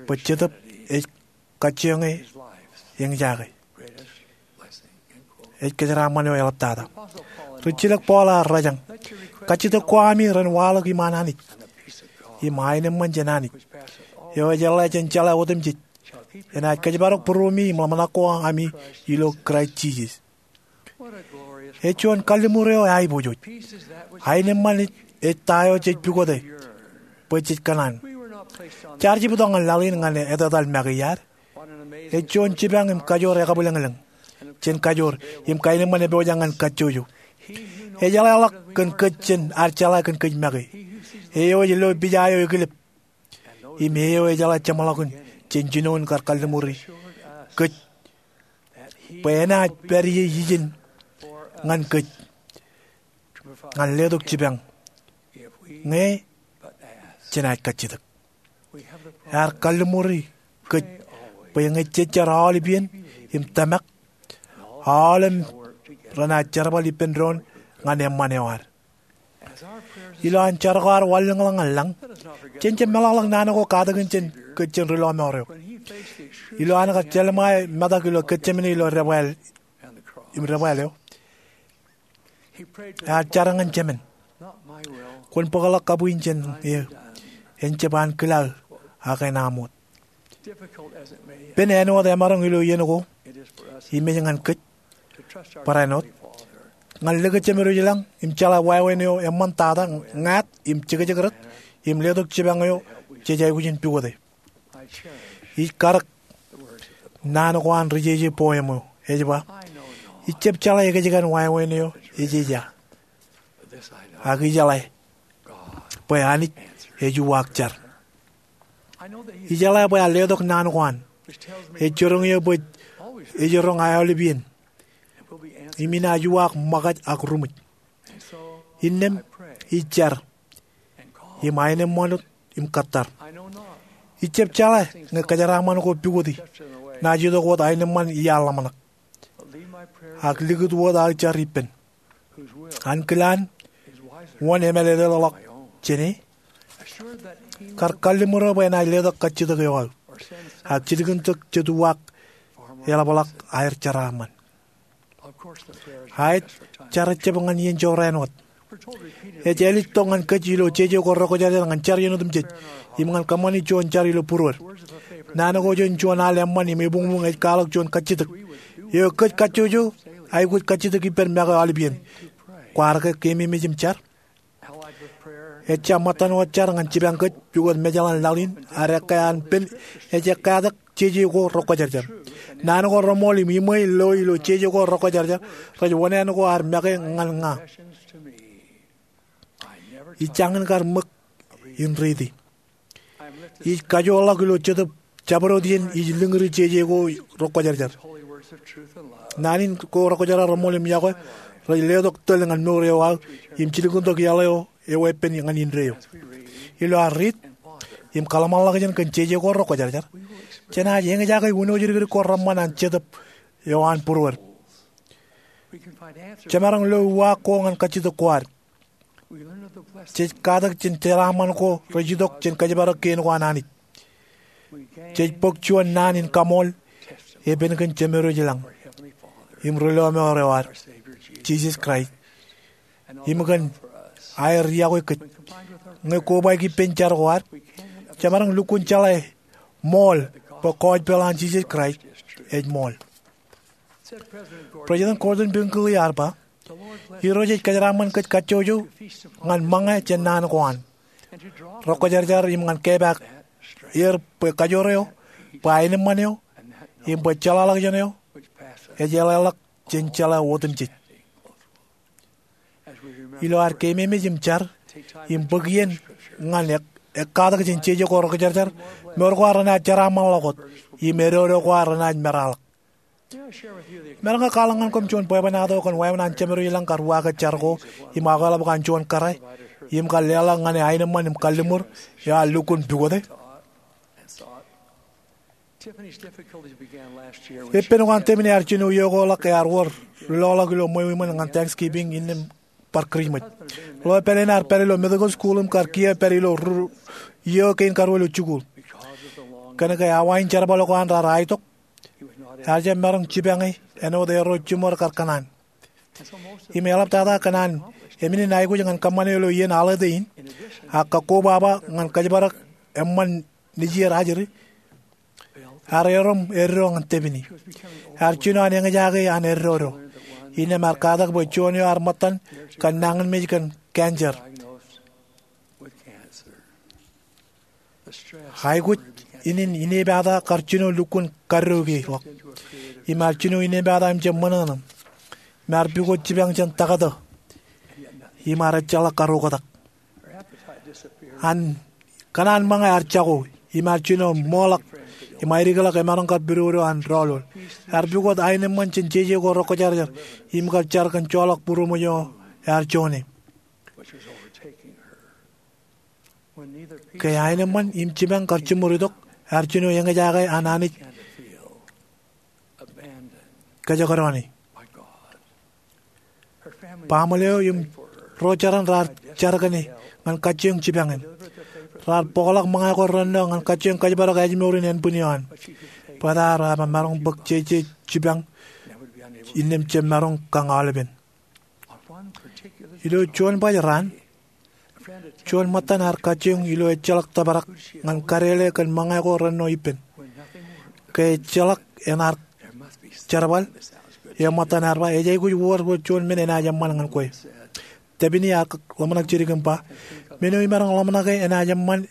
bwe Jetōb ej kajjioñe eñjake. Ej kōjeraaṃṃan eo eḷaptata. Rijjilōk Paul ear rōjañ, kajjitōk ko ami ren waḷọk iṃaan Anij im aenōṃṃan jān Anij eo ejeḷā jān jeḷā otemjej Enaaj kōjparok būruemi im ḷōmṇak ko ami ilo Kraist Jisōs. Ej juon kalliṃur eo eaiboojoj. Aenōṃṃan ej ta eo jej pukote bwe jej kōṇaan. Jaar jibtok ñan laḷ in ñan etetal make iar. Ej juon jipañ im kajoor ekabwilōñlōñ jān kajoor im kaenōṃṃan epojak ñan kajjojo. Ejeḷā ḷọk kōn kōj jān ad jeḷā kōn kōj make. Eo ej lo pija eo ekilep im eo ejeḷā jeṃḷọkin jān jinoin kar kalliṃuri kōj bwe enaaj pād ie ijin ñan kōj ñan letok jipañ ñe jenaaj kajjitōk. Ear kalliṃuri kōj bwe ñe jej jar aolep iien im tōmak, aolep renaaj jerbal ippān doon ñan eṃṃan eo ad. Ilo an jar ko ad wanlōñḷọk ñan lañ, jen jab meḷọkḷọk naan ko katakin jān kōj jān ri lọmọọr eo. Ilo an kar jelṃae metak ilo Getsemane ilo debwāāl im debwāāl eo, ear jar ñan Jemān, kwōn bōkḷọk kabuñ jān eō, en jab an kilaō, ak en aṃ wōt. Pen āinwōt emaroñ ilo iien ko im ej ñan kōj barāinwōt ñan likūt Jemediwōj lañ im jeḷā wāween eo eṃṃantata ñāāt im jekjek rot im letok jipañ eo jej aikuj in pukote. Ij karōk naan ko an ri jeje poem eo ej ba, ij jab jeḷā ekjkan wāween eo ejeja, ak ijeḷā bwe Anij ej uwaak jar. Ijeḷā bwe ear letok naan ko an ej jiroñ eō bwe ej jiroñ aolep iien im inaaj uwaak ṃōkaj ak ruṃwij. Innām ij jar im aenōṃṃan wōt im kōttar. Ij jab jeḷā ñe kōjeraaṃṃan ko pukoti naaj itok wōt aenōṃṃan iaḷ ḷōmṇak, ak likūt wōt aō jar ippān, ankilaan wōn emālōtlōtḷọk jāne, kar kalliṃur eo bwe enaaj letok kajjitōk eo aō ak jilkintok jet uwaak eḷapḷọk aer jeraaṃṃan. Aet, jar ejab ñan iien jorrāān wōt. Ej āliktōk ñan kōj ilo jeje ko rekwōjarjar ñan jar iien otemjej im ñan kōṃṃani juon jar ilo būruod. Naan ko jān juon al eṃṃan im ebuñbuñ ej kwaḷọk juon kajjitōk eo kōj kajjojo aikuj kajjitōk ippān make aolep iien. Kwaar ke keememej im jar? Ejja ṃōttan wōt jar ñan jipañ kōj pukot mejaḷ an laḷ in ad ekkā an pen ej ekkatak jeje ko rekwōjarjar. Naan ko reṃool im iṃwe lo ilo jeje ko rekwōjarjar rej wōṇāān ko ad make ñan ña. Ij jañin kar ṃōk in riiti. Ij kajoorḷọk ilo jetōb jabdewōt iien ij lōñri jeje ko rekwōjarjar. Naan in ko rekwōjarjar reṃool im yokwe rej letok tōl ñan mour eo aō im jilkintok iaḷ eo eweeppān ñan indeeo. Ilo ad riit im kōḷmānḷọkjeṇ kōn jeje ko rekwōjarjar, jenaaj eñjake wūnooj dikdik ko reṃṃan an jetōb eo an būruod. Jemaroñ lo uwaak ko ñan kajjitōk ko ad. Jej katak jān jeraaṃṃan ko rej itok jān kōjparok kein ko an Anij. Jej bōk juon naan in kaṃool epen kōn Jemediwōj lañ im ri lọmọọr eo ad, Jisōs Kraist, im kōn aer yokwe kōj. Ñe kobaik ippān jar ko ad, jemaroñ lukkuun jeḷā ṃool bwe gospel an Jisōs Kraist ej ṃool. President Gordon B. Hinckley ear ba, Irooj ej kōjeraaṃṃan kōj kajjojo ñan ṃōñā jān naan ko an rekwōjarjar im ñan kepaak er bwe kajoor eo, bwe aenōṃṃan eo, im bwe jeḷāḷọkjeṇ eo ej eḷāḷọk jān jeḷā otemjej. Ilo ad keememej im jar im bōk iien ñan ekkatak jān jeje ko rekwōjarjar, mour ko ad renaaj jeraaṃṃanḷọk wōt im eddo ko ad renaaj meraḷọk. Imaroñ ke kwaḷọk ñan koṃ juon bwebwenato kōn wāween an Jemediwōj lañ kar uwaake jar ko im akwāḷọk bwe an juon kōrā im kar leḷọk ñan e aenōṃṃan im kalliṃur eo ear lukkuun pukote? Eppān ko an Tiffany ear jino iiō ko ḷọk, ear wōr loḷọk ilo ṃweo iṃōn ñan Thanksgiving innām bar Kūrijṃōj. Ḷeo pād in ear pād ilo medical school im kar kiiō pād ilo ri iiō kein karuo ilo jikuuḷ. Kōnke awa in jerbal ko an raar aitok, ear jab maroñ jipañe āinwōt erro jiṃor kar kōṇaan. Im eḷaptata kōn an emān in aikuj ñan kōṃṃane ilo iien holiday in, ak kakkobaba ñan kōjparok eṃṃan nejier ajri, Ear erom eddo ñan Tepini. Ear jino an eñjake an eddodo. Innām ear katak bwe juon eo ear ṃōttan kōn nañinmej kōn cancer. Aikuj in inepata kar jino lukkuun kaddokeḷọk. Im ear jino inepata im jab ṃōṇōṇō. Im ear pukot jipañ jān taktō. Im ear ejjeḷọk kar oktak. An kōṇaan ṃōñā ear jako. Im ear jino ṃoḷọk. Im aedikḷọk emaroñ kar pidodo an doḷoḷ. Ear pukot aenōṃṃan jān jeje ko rekwōjarjar. Im kar jar kōn joḷọk būroṃōj eo ear joñe. Ke aenōṃṃan im jipañ kar jiṃor itok, ear jino eñjake an Anij kōjekdọọne. Baaṃle eo im ro jeran raar jar kōn e ñan kajjioñ jipañ in. Raar bōkḷọk ṃōñā ko rennọ ñan kajjioñ kōjparok ājmour in ānbwin eo an. Bōtaab ear jab maroñ bōk jeje jipañ innām jab maroñ kañ aolepen. Ilo juon baj raan, juon ṃōttan ear kajjioñ ilo ejjeḷọk tōprak ñan kadele kōn ṃōñā ko rennọ ippān. Ke ejjeḷọk enaaj jerbal, eo ṃōttan ear ba, ej aikuj wōr bwe juon men enaaj eṃṃan ñan kwe. Tepini ear ḷōmṇak jidik im ba, men eo imaroñ ḷōmṇake enaaj eṃṃan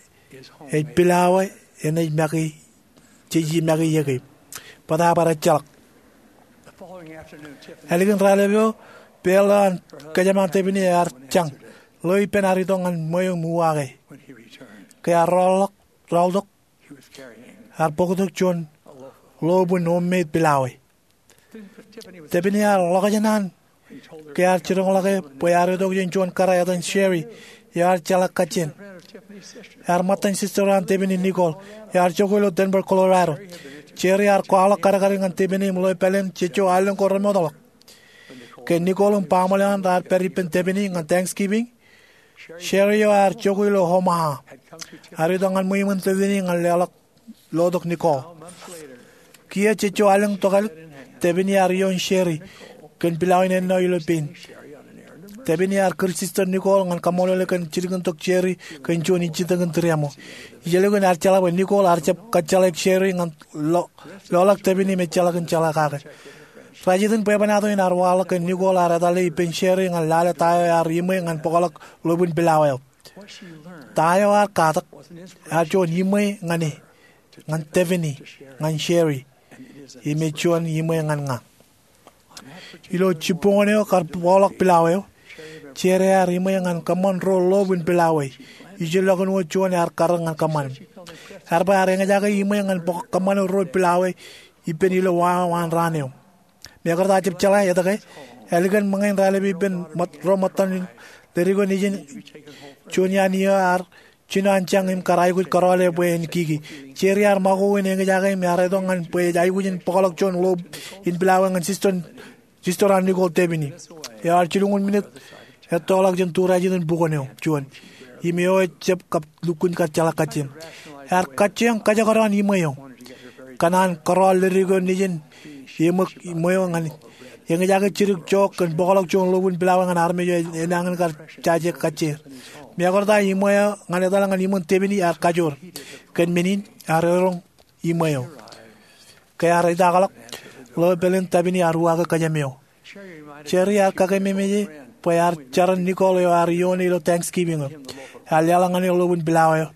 ej pilawā enaaj make jej make iiō ke. Bōtaab ear ejjeḷọk. Ālikin raelep eo, peel eo an kōjām an Tepini ear jañ. Ḷeo ippān ear itok ñan ṃweo im uwaake. Ke ear raoḷọk, raoḷtok, ear bōktok juon lobwin homemade pilawā. Tepini ear ḷōkjān an ke ear jiroñḷọke bwe ear itok jān juon kōrā etan Sherry eo ear jeḷā kajjien. Ear ṃōttan sister eo an Tepini, Nicole, eo ear jokwe ilo Denver, Colorado. Sherry ear kwaḷọk kadkadin ñan Tepini im ḷeo pāleen jejjo allōñ ko remootḷọk. Ke Nicole im baaṃle eo an raar pād ippān Tepini ñan Thanksgiving, Sherry eo ear jokwe ilo Omaha ear itok ñan ṃwiin Tepini ñan leḷọk lotok Nicole. Kiiō jejjo allōñ tokālik, Tepini ear ioon Sherry kōn pilawā in ennọ ilo pein. Tepini ear kūr sister Nicole ñan kaṃṃoolol e kōn jilkintok Sherry kōn juon ijjitōkin tūriaṃo. Ij likin ear jeḷā bwe Nicole ear jab kōjjeḷāik Sherry ñan lo-, loḷọk Tepini im ejjeḷọkin jeḷā kake. Rej iten bwebwenato in ear waḷọk ke Nicole ear etale ippān Sherry ñan lale ta eo ear iṃwe ñan bōkḷọk lobwin pilawā eo. Ta eo ear katak ear juon iṃwe ñan e, ñan Tepini, ñan Sherry, im ej juon iṃwe ñan ña. Ilo jibboñōn eo kar bōkḷọk pilawā eo, Sherry ear iṃwe ñan kōṃṃan ruo lobwin pilawā. Ijellọkin wōt juon ear karōk ñan kōṃṃan. Ear ba ear eñjake iṃwe ñan bōk kōṃṃane ruo pilawā ippān ilo wa eo an raan eo. Mekarta jab jeḷā etke, ālikin ṃōñā in raelep ippān ro ṃōttan in leddik eo nejin, juon iaan iiō ear jino an jañ im kar aikuj kōrọọle bwe en kiki. Sherry ear ṃakoko in eñjake im ear itok ñan bwe ej aikuj in bōkḷọk juon lob in pilawā ñan sister, sister an Nicole, Tepini, eo ear jilñuul minit ettoḷọk jān turajetan bukwōn eo juon, im eo ejab kab lukkuun kar jeḷā kajjien. Ear kajjioñ kōjekdọọn iṃwe eo. Kōn an kōrọọl leddik eo nejin, eṃōk iṃwe eo ñan eñjake jidik jook kōn bōkḷọk juon lobwin pilawā ñan armej eo enañin kar jaje kajjier. Mekarta iṃwe eo ñan etale ñan iṃōn Tepini ear kajoor. Kōn men in ear erom iṃwe eo. Ke ear idaakḷọk, ḷeo pāleen Tepini ear uwaake kōjām eo. Sherry ear kakememej e bwe ear jaran Nicole eo ear ioone ilo Thanksgiving eo. Ear leḷọk ñan e lobwin pilawā eo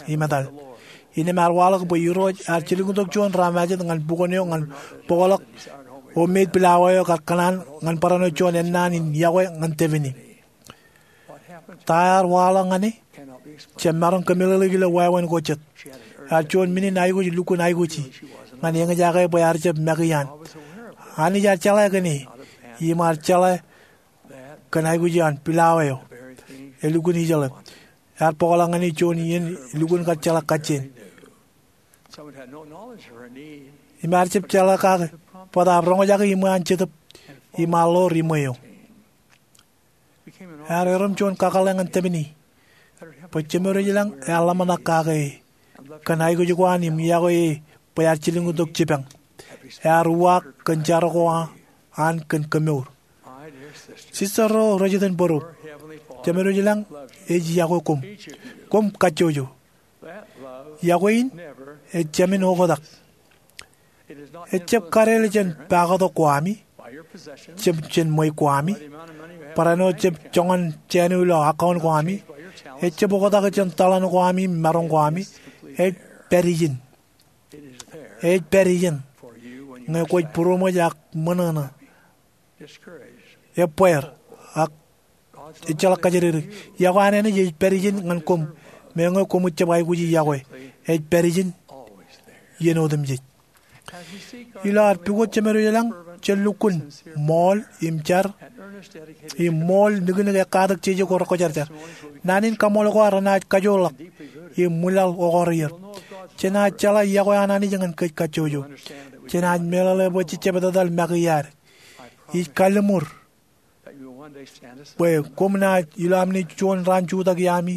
im etal. Innām ear waḷọk bwe Irooj ear jilkintok juon ro majād ñan bukwōn eo ñan bōkḷọk homemade pilawā eo kar kōṇaan ñan barāinwōt juon ennaan in yokwe ñan Tepini. Ta ear waḷọk ñan e jab maroñ kōmeḷeḷeik ilo wāween ko jet. Ear juon men in aikuj lukkuun aikuji ñan eñjake bwe ear jab make iaan. Anij ear jeḷā kōn e im ear jeḷā kōn aikuj iaan pilawā eo. Elukkuun ijeḷā. Ear bōkḷọk ñan e juon iien elukkuun kar jeḷā kajjien. Im ear jab jeḷā kake, bōtaab roñjake iṃwe an Jetōb im ear ḷoor iṃwe eo. Ear erom juon kakōḷḷe ñan Tepini bwe Jemedwōj ilañ ear ḷōmṇak kake e kōn aikuj ko an im yokwe e bwe ear jilkintok jipañ. Ear uwaak kōn jar ko an kōn kemour. Sister ro rej iten bōro, Jemedwōj ilañ ej yokwe koṃ. Koṃ kajjojo. Yokwe in ej jāmin oktak. Ejjab kadeḷ jān paaktok ko ami, jab jān ṃweiuk ko ami, barāinwōt jab joñan jāān eo ilo account ko ami, ejjab oktak jān tōḷan ko ami im maroñ ko ami. Ej pād ijin. Ej pād ijin ñe kwōj būroṃōj ak ṃōṇōṇō, ebbeer, ak ejjeḷọk kōjatdikdik. Iọkwe an Anij ej pād ijin ñan koṃ, meñe koṃij jab aikuji iọkwe. Ej pād ijin iien otemjej. Ilo ad pukot Jemedwōj lañ, jen lukkuun ṃool im jar im ṃool niknik ekkatak jeje ko rekwōjarjar. Naan in kaṃṃool ko ad renaaj kajoorḷọk im ṃwilaḷ okar er. Jenaaj jeḷā iọkwe an Anij ñan kōj kajjojo. Jenaaj meḷeḷe bwe jejjab etetal make iaad. Ij kalliṃur bwe koṃ naaj, ilo am naaj juon raan jutak iaami,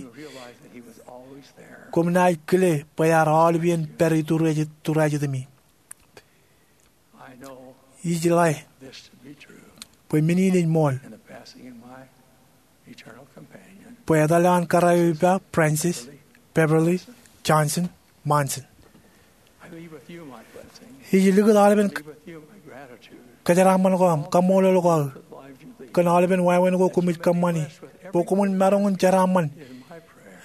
koṃ naaj kile bwe ear aolep iien pād ituriej, ituriej itemi. Ij ḷe bwe men in ej ṃool bwe etal eo an kōrā eo ippa, Frances Beverly Johnson Monson. Ij likūt aolepen kōjeraaṃṃan ko aṃ, kaṃṃoolol ko aō kōn aolepen wāween ko koṃij kōṃṃani, bwe koṃwin maroñ in jeraaṃṃan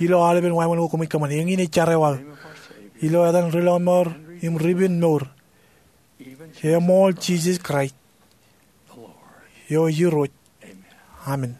ilo aolepen wāween ko koṃij kōṃṃani. Eñin ej jar eo aō ilo etan Rilọmọọr im Ripenmour, eṃool Jisōs Kraist eo Irooj. Amen.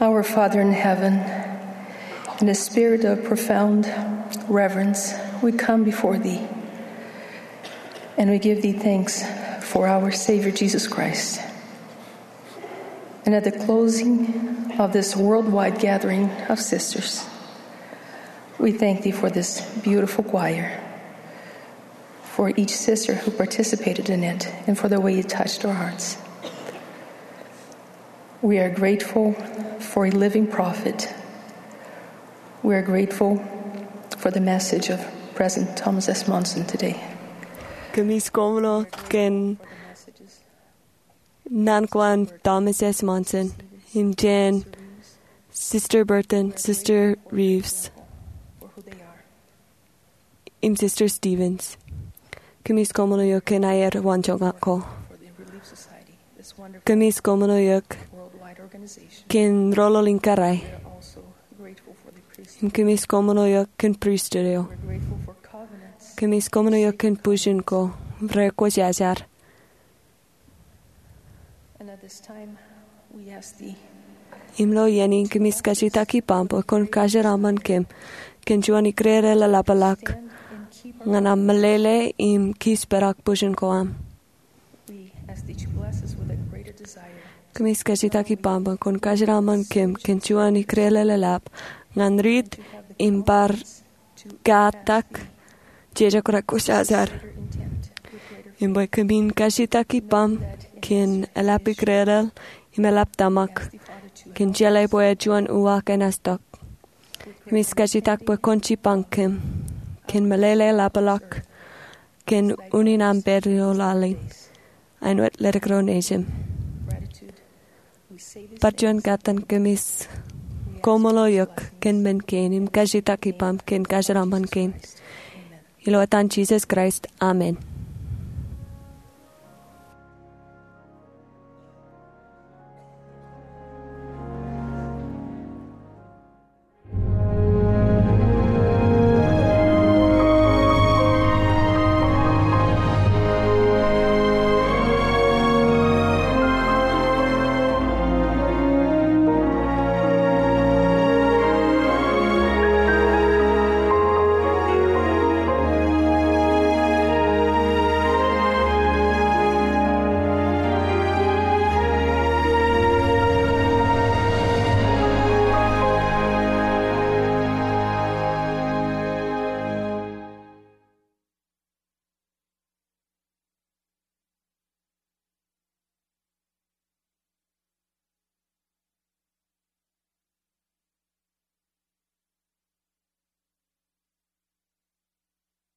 Our Father in heaven, in a spirit of profound reverence, we come before thee, and we give thee thanks for our Savior Jesus Christ. And at the closing of this worldwide gathering of sisters, we thank thee for this beautiful choir, for each sister who participated in it, and for the way it touched our hearts. We are grateful for a living prophet. We are grateful for the message of President Thomas S. Monson today. Kōmij koṃṃool kōn naan ko an Thomas S. Monson, im jān Sister Burton, Sister Reeves, im Sister Stevens. Kōmij koṃṃool eok kōn aer waanjoñak ko. Kōmij koṃṃool eok kōn rōḷḷoḷ in kōrā. Im kōmij koṃṃool eok kōn pristut eo. Kōmij koṃṃool eok kōn bujen ko, rej kwōjarjar. Im ilo iien in kōmij kajjitōk ippaṃ bwe kwōn kajeraṃṃan kōm kōn juon ikōrā eḷap ḷọk ñan aṃ meḷeḷe im kōjparok bujen ko aṃ. Kōmij kajjitōk ippaṃ bwe kwōn kajeraṃṃan kōm kōn juon ikōrā eḷap ñan riit im bar katak jeje ko rej kwōjarjar. Im bwe kōmin kajjitōk ippaṃ kōn eḷap ikōrā im eḷap tōmak kōn jeḷā bwe juon uwaak enaaj tok. Kōmij kajjitōk bwe kwōn jipañ kōm kōn meḷeḷe ḷapḷọk kōn unin aṃ pād ilo laḷ in. Āinwōt ledik ro nejūṃ. Bar juon kōttan kōmij koṃṃool eok kōn men kein im kajjitōk ippaṃ kōn kajeraṃṃan kein. Ilo etan Jisōs Kraist, amen.